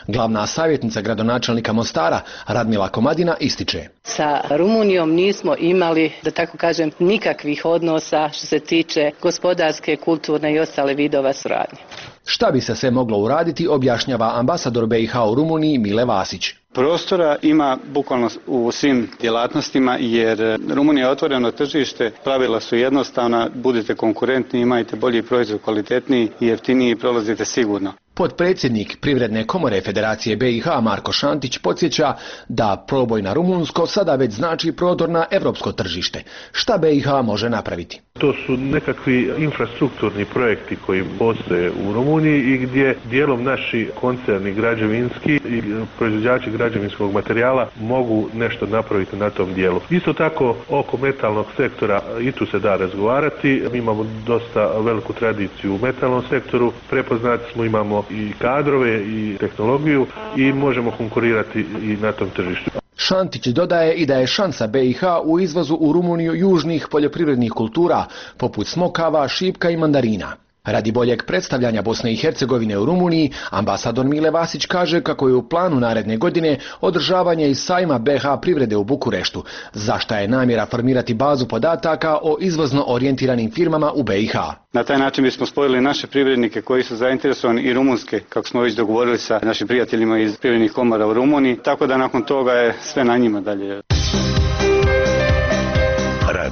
Glavna savjetnica gradonačelnika Mostara, Radmila Komadina, ističe. Sa Rumunijom nismo imali, da tako kažem, nikakvih odnosa što se tiče gospodarske, kulturne i ostale vidova suradnje. Šta bi se sve moglo uraditi, objašnjava ambasador BiH u Rumuniji Mile Vasić. Prostora ima bukvalno u svim djelatnostima, jer Rumunija je otvoreno tržište, pravila su jednostavna, budite konkurentni, imajte bolji proizvod, kvalitetniji i jeftiniji, prolazite sigurno. Potpredsjednik Privredne komore Federacije BiH Marko Šantić podsjeća da proboj na rumunsko sada već znači prodor na evropsko tržište. Šta BiH može napraviti? To su nekakvi infrastrukturni projekti koji postoje u Rumuniji i gdje dijelom naši koncerni građevinski i proizvođači građevinskog materijala mogu nešto napraviti na tom dijelu. Isto tako oko metalnog sektora i tu se da razgovarati. Mi imamo dosta veliku tradiciju u metalnom sektoru, prepoznati smo, imamo i kadrove i tehnologiju i možemo konkurirati i na tom tržištu. Šantić dodaje i da je šansa BiH u izvozu u Rumuniju južnih poljoprivrednih kultura, poput smokava, šipka i mandarina. Radi boljeg predstavljanja Bosne i Hercegovine u Rumuniji, ambasador Mile Vasić kaže kako je u planu naredne godine održavanje i sajma BiH privrede u Bukureštu, za šta je namjera formirati bazu podataka o izvozno orijentiranim firmama u BiH. Na taj način bismo spojili naše privrednike koji su zainteresovani i rumunske, kako smo već dogovorili sa našim prijateljima iz privrednih komora u Rumuniji, tako da nakon toga je sve na njima dalje.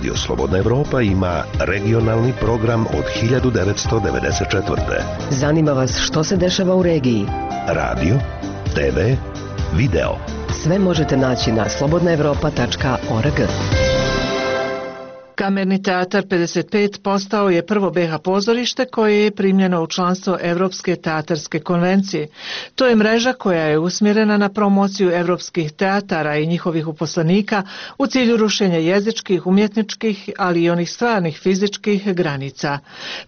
Radio Slobodna Evropa ima regionalni program od 1994. Zanima vas što se dešava u regiji? Radio, TV, video. Sve možete naći na slobodnaevropa.org. Kamerni teatar 55 postao je prvo BiH pozorište koje je primljeno u članstvo Evropske teatarske konvencije. To je mreža koja je usmjerena na promociju evropskih teatara i njihovih uposlenika u cilju rušenja jezičkih, umjetničkih, ali i onih stvarnih fizičkih granica.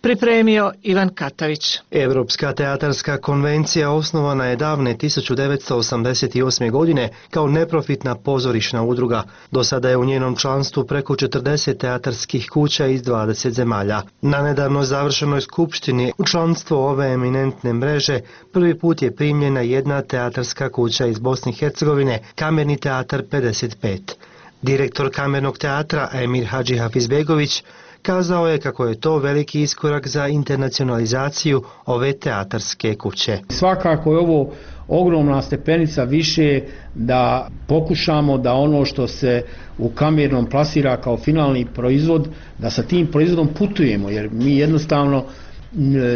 Pripremio Ivan Katavić. Evropska teatarska konvencija osnovana je davne 1988. godine kao neprofitna pozorišna udruga. Do sada je u njenom članstvu preko 40 teatarskih kuća iz 20 zemalja. Na nedavno završenoj skupštini u članstvo ove eminentne mreže prvi put je primljena jedna teatarska kuća iz Bosne i Hercegovine, Kamerni teatar 55. Direktor Kamernog teatra Emir Hadži Hafizbegović kazao je kako je to veliki iskorak za internacionalizaciju ove teatarske kuće. Svakako je ovo ogromna stepenica više da pokušamo da ono što se u kamernom plasira kao finalni proizvod, da sa tim proizvodom putujemo, jer mi jednostavno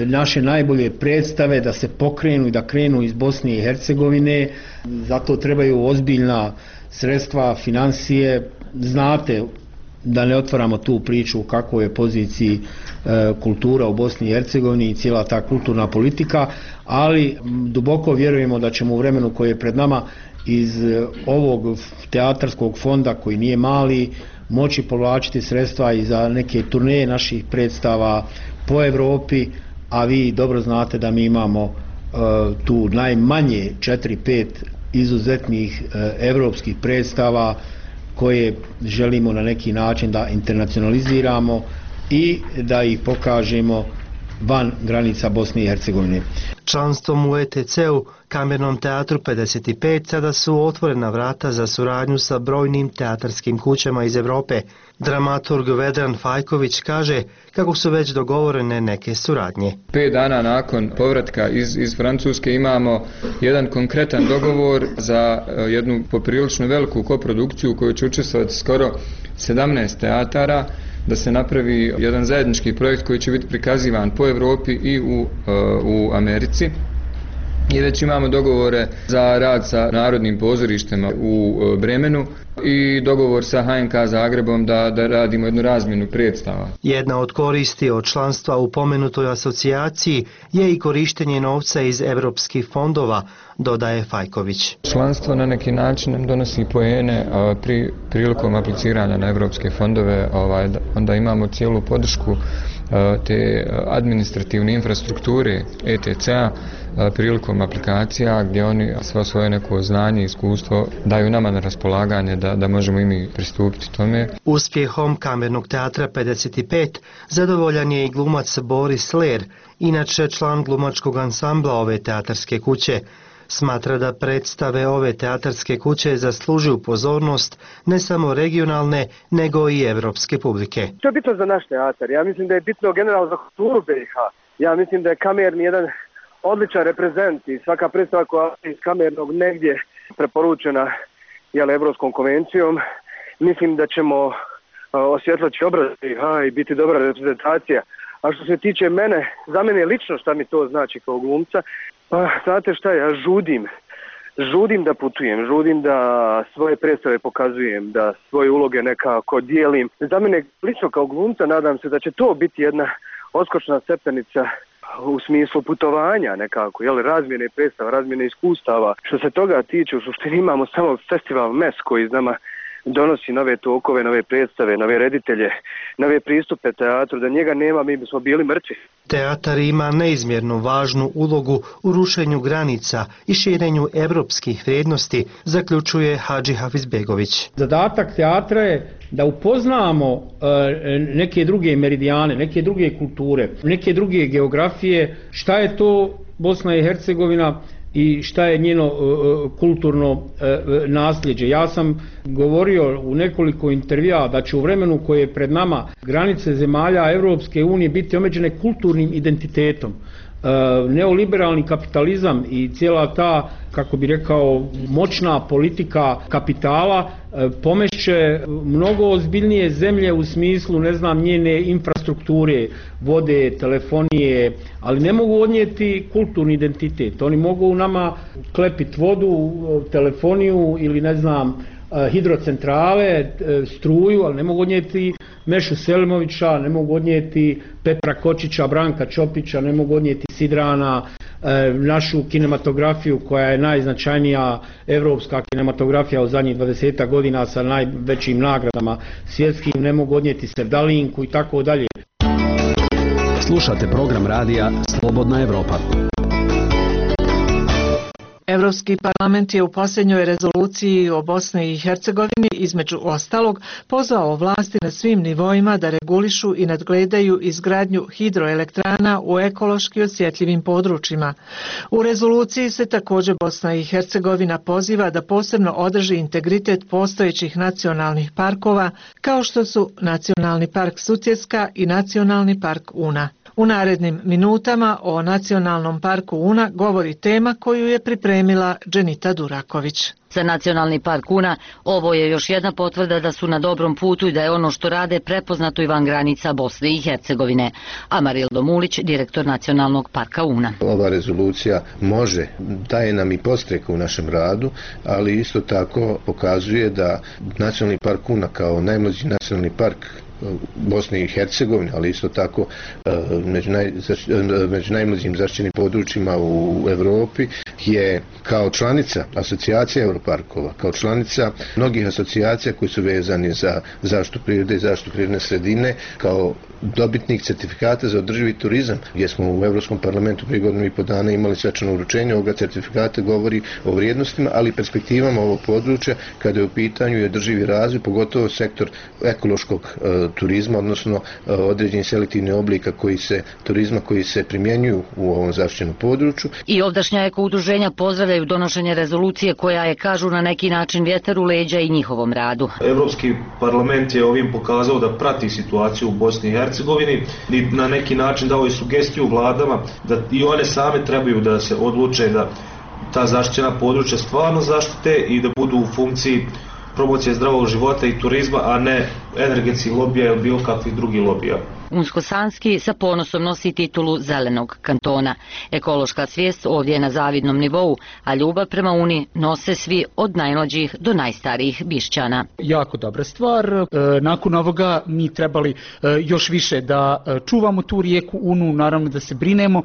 naše najbolje predstave da se pokrenu i da krenu iz Bosne i Hercegovine, zato trebaju ozbiljna sredstva, financije. Znate, da ne otvaramo tu priču u kakvoj je poziciji kultura u Bosni i Hercegovini i cijela ta kulturna politika, ali duboko vjerujemo da ćemo u vremenu koje je pred nama iz ovog teatarskog fonda, koji nije mali, moći povlačiti sredstva i za neke turneje naših predstava po Evropi, a vi dobro znate da mi imamo tu najmanje 4-5 izuzetnih evropskih predstava koje želimo na neki način da internacionaliziramo i da ih pokažemo van granica Bosne i Hercegovine. Članstvom u ETC-u, Kamernom teatru 55, sada su otvorena vrata za suradnju sa brojnim teatarskim kućama iz Evrope. Dramaturg Vedran Fajković kaže kako su već dogovorene neke suradnje. 5 dana nakon povratka iz Francuske imamo jedan konkretan dogovor za jednu poprilično veliku koprodukciju u kojoj će učestvovati skoro 17 teatara, da se napravi jedan zajednički projekt koji će biti prikazivan po Evropi i u Americi. I već imamo dogovore za rad sa narodnim pozorištima u Bremenu i dogovor sa HNK Zagrebom da radimo jednu razmjenu predstava. Jedna od koristi od članstva u pomenutoj asocijaciji je i korištenje novca iz evropskih fondova, dodaje Fajković. Članstvo na neki način nam donosi poene prilikom apliciranja na evropske fondove, onda imamo cijelu podršku te administrativne infrastrukture ETC-a prilikom aplikacija gdje oni svo svoje neko znanje i iskustvo daju nama na raspolaganje da možemo i mi pristupiti tome. Uspjehom Kamernog teatra 55 zadovoljan je i glumac Boris Ler, inače član glumačkog ansambla ove teatarske kuće. Smatra da predstave ove teatarske kuće zaslužuju pozornost ne samo regionalne, nego i evropske publike. To je bitno za naš teatar. Ja mislim da je bitno generalno za kulturu BiH. Ja mislim da je kamerni jedan odličan reprezent i svaka predstava koja je iz kamernog negdje preporučena Evropskom konvencijom. Mislim da ćemo osvjetliti obraz BiH i biti dobra reprezentacija. A što se tiče mene, za mene lično šta mi to znači kao glumca, pa znate šta, ja žudim da putujem, žudim da svoje predstave pokazujem, da svoje uloge nekako dijelim. Za mene lično kao glumca nadam se da će to biti jedna odskočna stepenica u smislu putovanja nekako, razmjene predstava, razmjene iskustava. Što se toga tiče, u suštini imamo samo festival MES koji nama donosi nove tokove, nove predstave, nove reditelje, nove pristupe teatru. Da njega nema, mi bismo bili mrtvi. Teatar ima neizmjerno važnu ulogu u rušenju granica i širenju evropskih vrijednosti, zaključuje Hadži Hafizbegović. Zadatak teatra je da upoznamo neke druge meridijane, neke druge kulture, neke druge geografije, šta je to Bosna i Hercegovina i šta je njeno kulturno nasljeđe. Ja sam govorio u nekoliko intervjua da će u vremenu koje je pred nama granice zemalja Evropske unije biti omeđene kulturnim identitetom. neoliberalni kapitalizam i cijela ta, kako bi rekao, moćna politika kapitala pomešće mnogo ozbiljnije zemlje u smislu, ne znam, njene infrastrukture, vode, telefonije, ali ne mogu odnijeti kulturni identitet. Oni mogu nama klepiti vodu, telefoniju ili ne znam, hidrocentrale, struju, ali ne mogu odnijeti Mešu Selimovića, ne mogu odnijeti Petra Kočića, Branka Čopića, ne mogu odnijeti Sidrana, našu kinematografiju koja je najznačajnija evropska kinematografija u zadnjih 20 godina sa najvećim nagradama svjetskim, ne mogu odnijeti Sevdalinku i tako dalje. Slušate program radija Slobodna Evropa. Evropski parlament je u posljednjoj rezoluciji o Bosni i Hercegovini između ostalog pozvao vlasti na svim nivoima da regulišu i nadgledaju izgradnju hidroelektrana u ekološki osjetljivim područjima. U rezoluciji se također Bosna i Hercegovina poziva da posebno održi integritet postojećih nacionalnih parkova kao što su Nacionalni park Sutjeska i Nacionalni park Una. U narednim minutama o Nacionalnom parku Una govori tema koju je pripremila Dženita Duraković. Za Nacionalni park Una ovo je još jedna potvrda da su na dobrom putu i da je ono što rade prepoznato i van granica Bosne i Hercegovine. Amarildo Mulić, direktor Nacionalnog parka Una. Ova rezolucija daje nam i podstrek u našem radu, ali isto tako pokazuje da Nacionalni park Una kao najmlađi nacionalni park Bosne i Hercegovine, ali isto tako među najmlađim zaštićenim područjima u Europi, je kao članica asocijacije Europarkova, kao članica mnogih asocijacija koji su vezani za zaštitu prirode i zaštitu prirodne sredine, kao dobitnik certifikata za održivi turizam, gdje smo u Europskom parlamentu prije godinu i po dana imali svečano uručenje ovoga certifikata, govori o vrijednostima, ali i perspektivama ovog područja kada je u pitanju i održivi razvoj, pogotovo sektor ekološkog turizma, odnosno određenih selektivnih oblika turizma koji se primjenjuju u ovom zaštićenom području. I ovdašnja ekoudruženja pozdravljaju donošenje rezolucije koja je, kažu, na neki način vjetar u leđa i njihovom radu. Europski parlament je ovim pokazao da prati situaciju u Bosni i Hercegovini i na neki način dao i sugestiju vladama da i one same trebaju da se odluče da ta zaštićena područja stvarno zaštite i da budu u funkciji promocije zdravog života i turizma, a ne energetskih lobija ili bilo kakvih drugih lobija. Unsko-Sanski sa ponosom nosi titulu zelenog kantona. Ekološka svijest ovdje je na zavidnom nivou, a ljubav prema Uni nose svi od najmlađih do najstarijih Bišćana. Jako dobra stvar. Nakon ovoga mi trebali još više da čuvamo tu rijeku Unu, naravno da se brinemo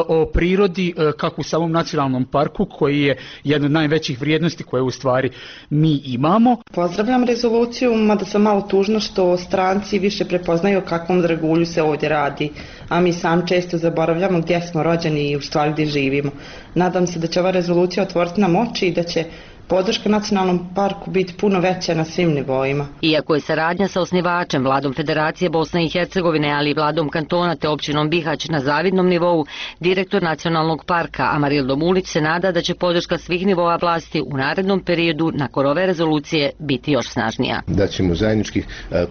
o prirodi kako u samom nacionalnom parku koji je jedna od najvećih vrijednosti koje u stvari mi imamo. Pozdravljam rezoluciju, mada sam malo tužna što stranci više prepoznaju kakvom dragulju se ovdje radi, a mi sam često zaboravljamo gdje smo rođeni i u stvari gdje živimo. Nadam se da će ova rezolucija otvoriti nam oči i da će podrška nacionalnom parku biti puno veća na svim nivoima. Iako je saradnja sa osnivačem, vladom Federacije Bosne i Hercegovine, ali i vladom kantona te općinom Bihać na zavidnom nivou, direktor Nacionalnog parka Amarildo Mulić se nada da će podrška svih nivoa vlasti u narednom periodu nakon ove rezolucije biti još snažnija. Da ćemo zajednički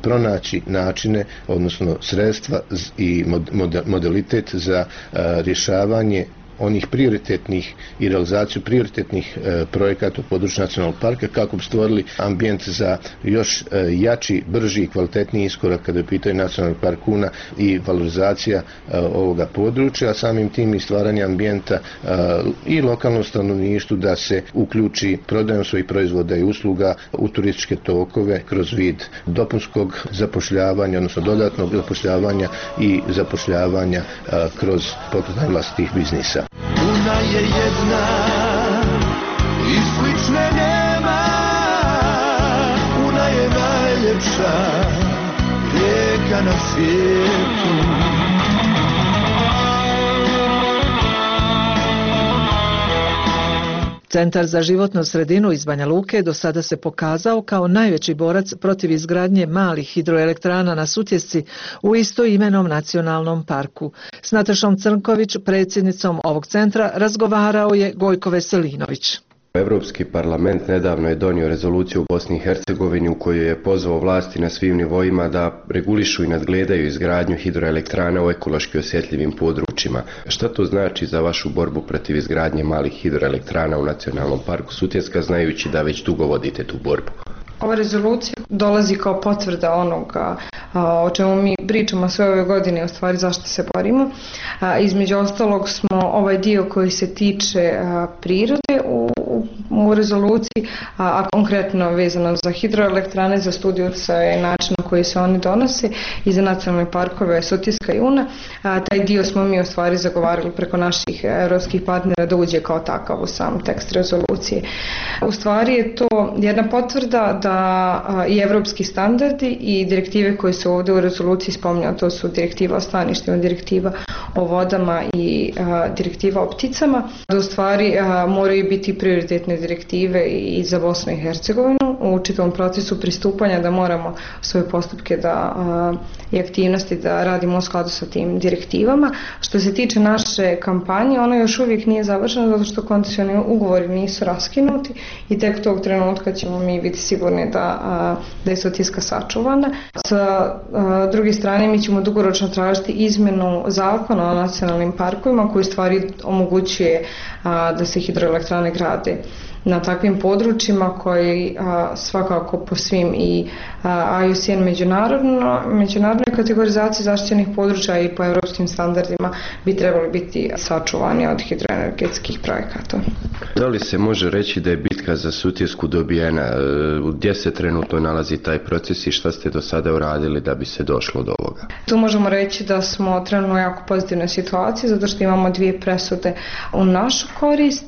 pronaći načine, odnosno sredstva i modalitet za rješavanje onih prioritetnih i realizaciju prioritetnih projekata u području nacionalnog parka kako bi stvorili ambijent za još jači, brži i kvalitetniji iskorak kada je u pitanju nacionalnog park Una i valorizacija ovoga područja, a samim tim i stvaranje ambijenta i lokalnom stanovništvu da se uključi prodajom svojih proizvoda i usluga u turističke tokove kroz vid dopunskog zapošljavanja, odnosno dodatnog zapošljavanja i zapošljavanja kroz pokretanje vlastitih biznisa. Una je jedna i slične nema, Una je najljepša rijeka na svijetu. Centar za životnu sredinu iz Banja Luke do sada se pokazao kao najveći borac protiv izgradnje malih hidroelektrana na Sutjesci u istoimenom nacionalnom parku. S Natašom Crnković, predsjednicom ovog centra, razgovarao je Gojko Veselinović. Evropski parlament nedavno je donio rezoluciju u Bosni i Hercegovini u kojoj je pozvao vlasti na svim nivoima da regulišu i nadgledaju izgradnju hidroelektrana u ekološki osjetljivim područjima. Šta to znači za vašu borbu protiv izgradnje malih hidroelektrana u Nacionalnom parku Sutjeska, znajući da već dugo vodite tu borbu? Ova rezolucija dolazi kao potvrda onoga o čemu mi pričamo sve ove godine, u stvari zašto se borimo. Između ostalog smo ovaj dio koji se tiče prirode u rezoluciji, a konkretno vezano za hidroelektrane, za studiju utjecaja i način na koji se oni donose i za nacionalne parkove Sutjeska i Una. Taj dio smo mi u stvari zagovarali preko naših europskih partnera da uđe kao takav u sam tekst rezolucije. U stvari je to jedna potvrda da i evropski standardi i direktive koje su ovdje u rezoluciji spominjaju, to su direktiva o staništima, direktiva o vodama i direktiva o pticama, da u stvari moraju biti prioritetne direktive i za Bosnu i Hercegovinu u čitavom procesu pristupanja, da moramo svoje postupke i aktivnosti da radimo u skladu sa tim direktivama. Što se tiče naše kampanje, ona još uvijek nije završena zato što koncesioni ugovori nisu raskinuti i tek tog trenutka ćemo mi biti sigurni da je Sutjeska sačuvana. Sa druge strane, mi ćemo dugoročno tražiti izmjenu zakona o nacionalnim parkovima koji stvari omogućuje da se hidroelektrane grade na takvim područjima koji svakako po svim i IUCN međunarodnoj kategorizaciji zaštićenih područja i po europskim standardima bi trebali biti sačuvani od hidroenergetskih projekata. Da li se može reći da je bitka za Sutjesku dobijena? Gdje se trenutno nalazi taj proces i šta ste do sada uradili da bi se došlo do ovoga? Tu možemo reći da smo trenutno u jako pozitivnoj situaciji zato što imamo 2 presude u našu korist.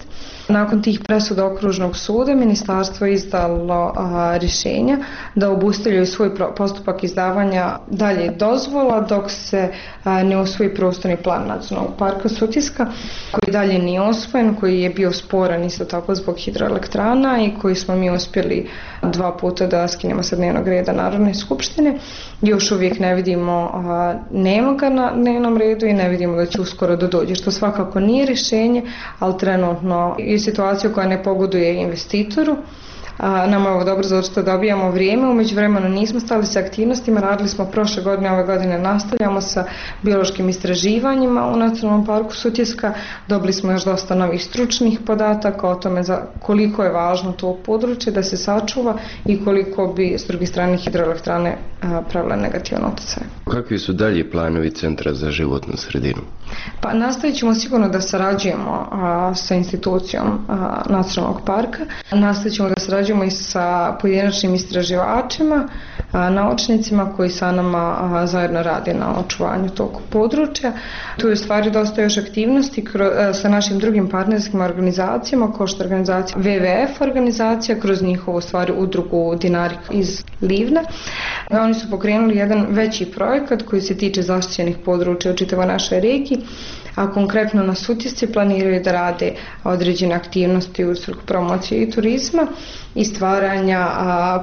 Nakon tih presuda Okružnog suda ministarstvo je izdalo rješenja da obustavljaju svoj postupak izdavanja dalje dozvola dok se ne usvoji prostorni plan Nacionalnog parka Sutjeska, koji dalje nije osvojen, koji je bio sporan isto tako zbog hidroelektrana i koji smo mi uspjeli 2 puta da skinemo sa dnevnog reda Narodne skupštine. Još uvijek ne vidimo, nema ga na dnevnom redu i ne vidimo da će uskoro dođe, što svakako nije rješenje, ali trenutno je situacija koja ne pogoduje investitoru. Nama je ovo dobro zato što dobijamo vrijeme, u međuvremenu nismo stali sa aktivnostima, radili smo prošle godine, ove godine nastavljamo sa biološkim istraživanjima u Nacionalnom parku Sutjeska, dobili smo još dosta novih stručnih podataka o tome koliko je važno to područje da se sačuva i koliko bi s druge strane hidroelektrane pravile negativan utjecaj. Kakvi su dalji planovi Centra za životnu sredinu? Pa nastavit ćemo sigurno da sarađujemo sa institucijom Nacionalnog parka, nastavit ćemo da sarađujemo i sa pojedinačnim istraživačima, naučnicima koji sa nama zajedno rade na očuvanju tog područja. Tu je u stvari dosta još aktivnosti sa našim drugim partnerskim organizacijama, kao što je organizacija WWF organizacija, kroz njihovu stvari udrugu Dinarik iz Livna. Oni su pokrenuli jedan veći projekat koji se tiče zaštićenih područja u čitavoj našoj regiji, a konkretno na Sutjesci planiraju da rade određene aktivnosti u svrhu promocije i turizma i stvaranja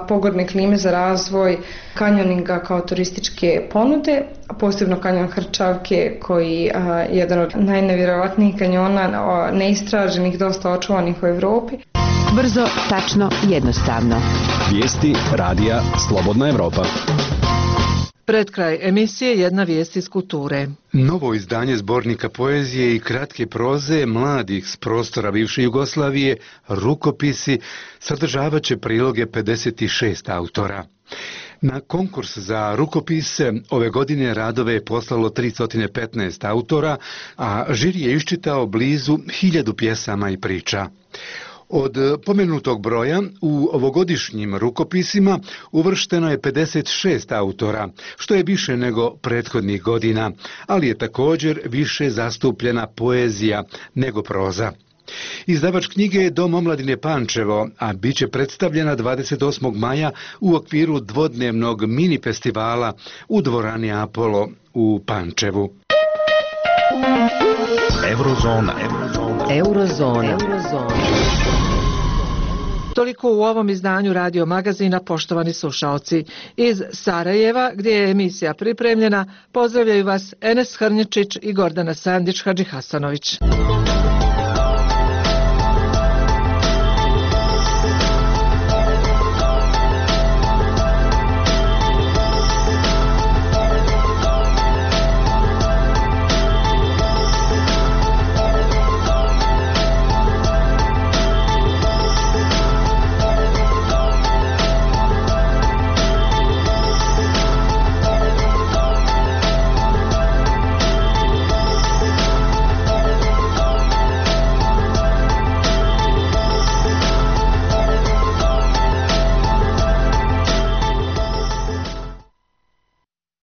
pogodne klime za razvoj kanjoninga kao turističke ponude, posebno kanjon Hrčavke koji je jedan od najnevjerovatnijih kanjona neistraženih, dosta očuvanih u Europi. Brzo, tačno, jednostavno. Vijesti radija Slobodna Evropa. Pred kraj emisije jedna vijest iz kulture. Novo izdanje zbornika poezije i kratke proze mladih s prostora bivše Jugoslavije, Rukopisi, sadržavat će priloge 56 autora. Na konkurs za rukopise ove godine radove je poslalo 315 autora, a žiri je iščitao blizu 1000 pjesama i priča. Od pomenutog broja u ovogodišnjim rukopisima uvršteno je 56 autora, što je više nego prethodnih godina, ali je također više zastupljena poezija nego proza. Izdavač knjige je Dom omladine Pančevo, a bit će predstavljena 28. maja u okviru dvodnevnog mini festivala u dvorani Apollo u Pančevu. Eurozona. Toliko u ovom izdanju Radio Magazina, poštovani slušaoci. Iz Sarajeva, gdje je emisija pripremljena, pozdravljaju vas Enes Hrnječić i Gordana Sandić Hadžihasanović.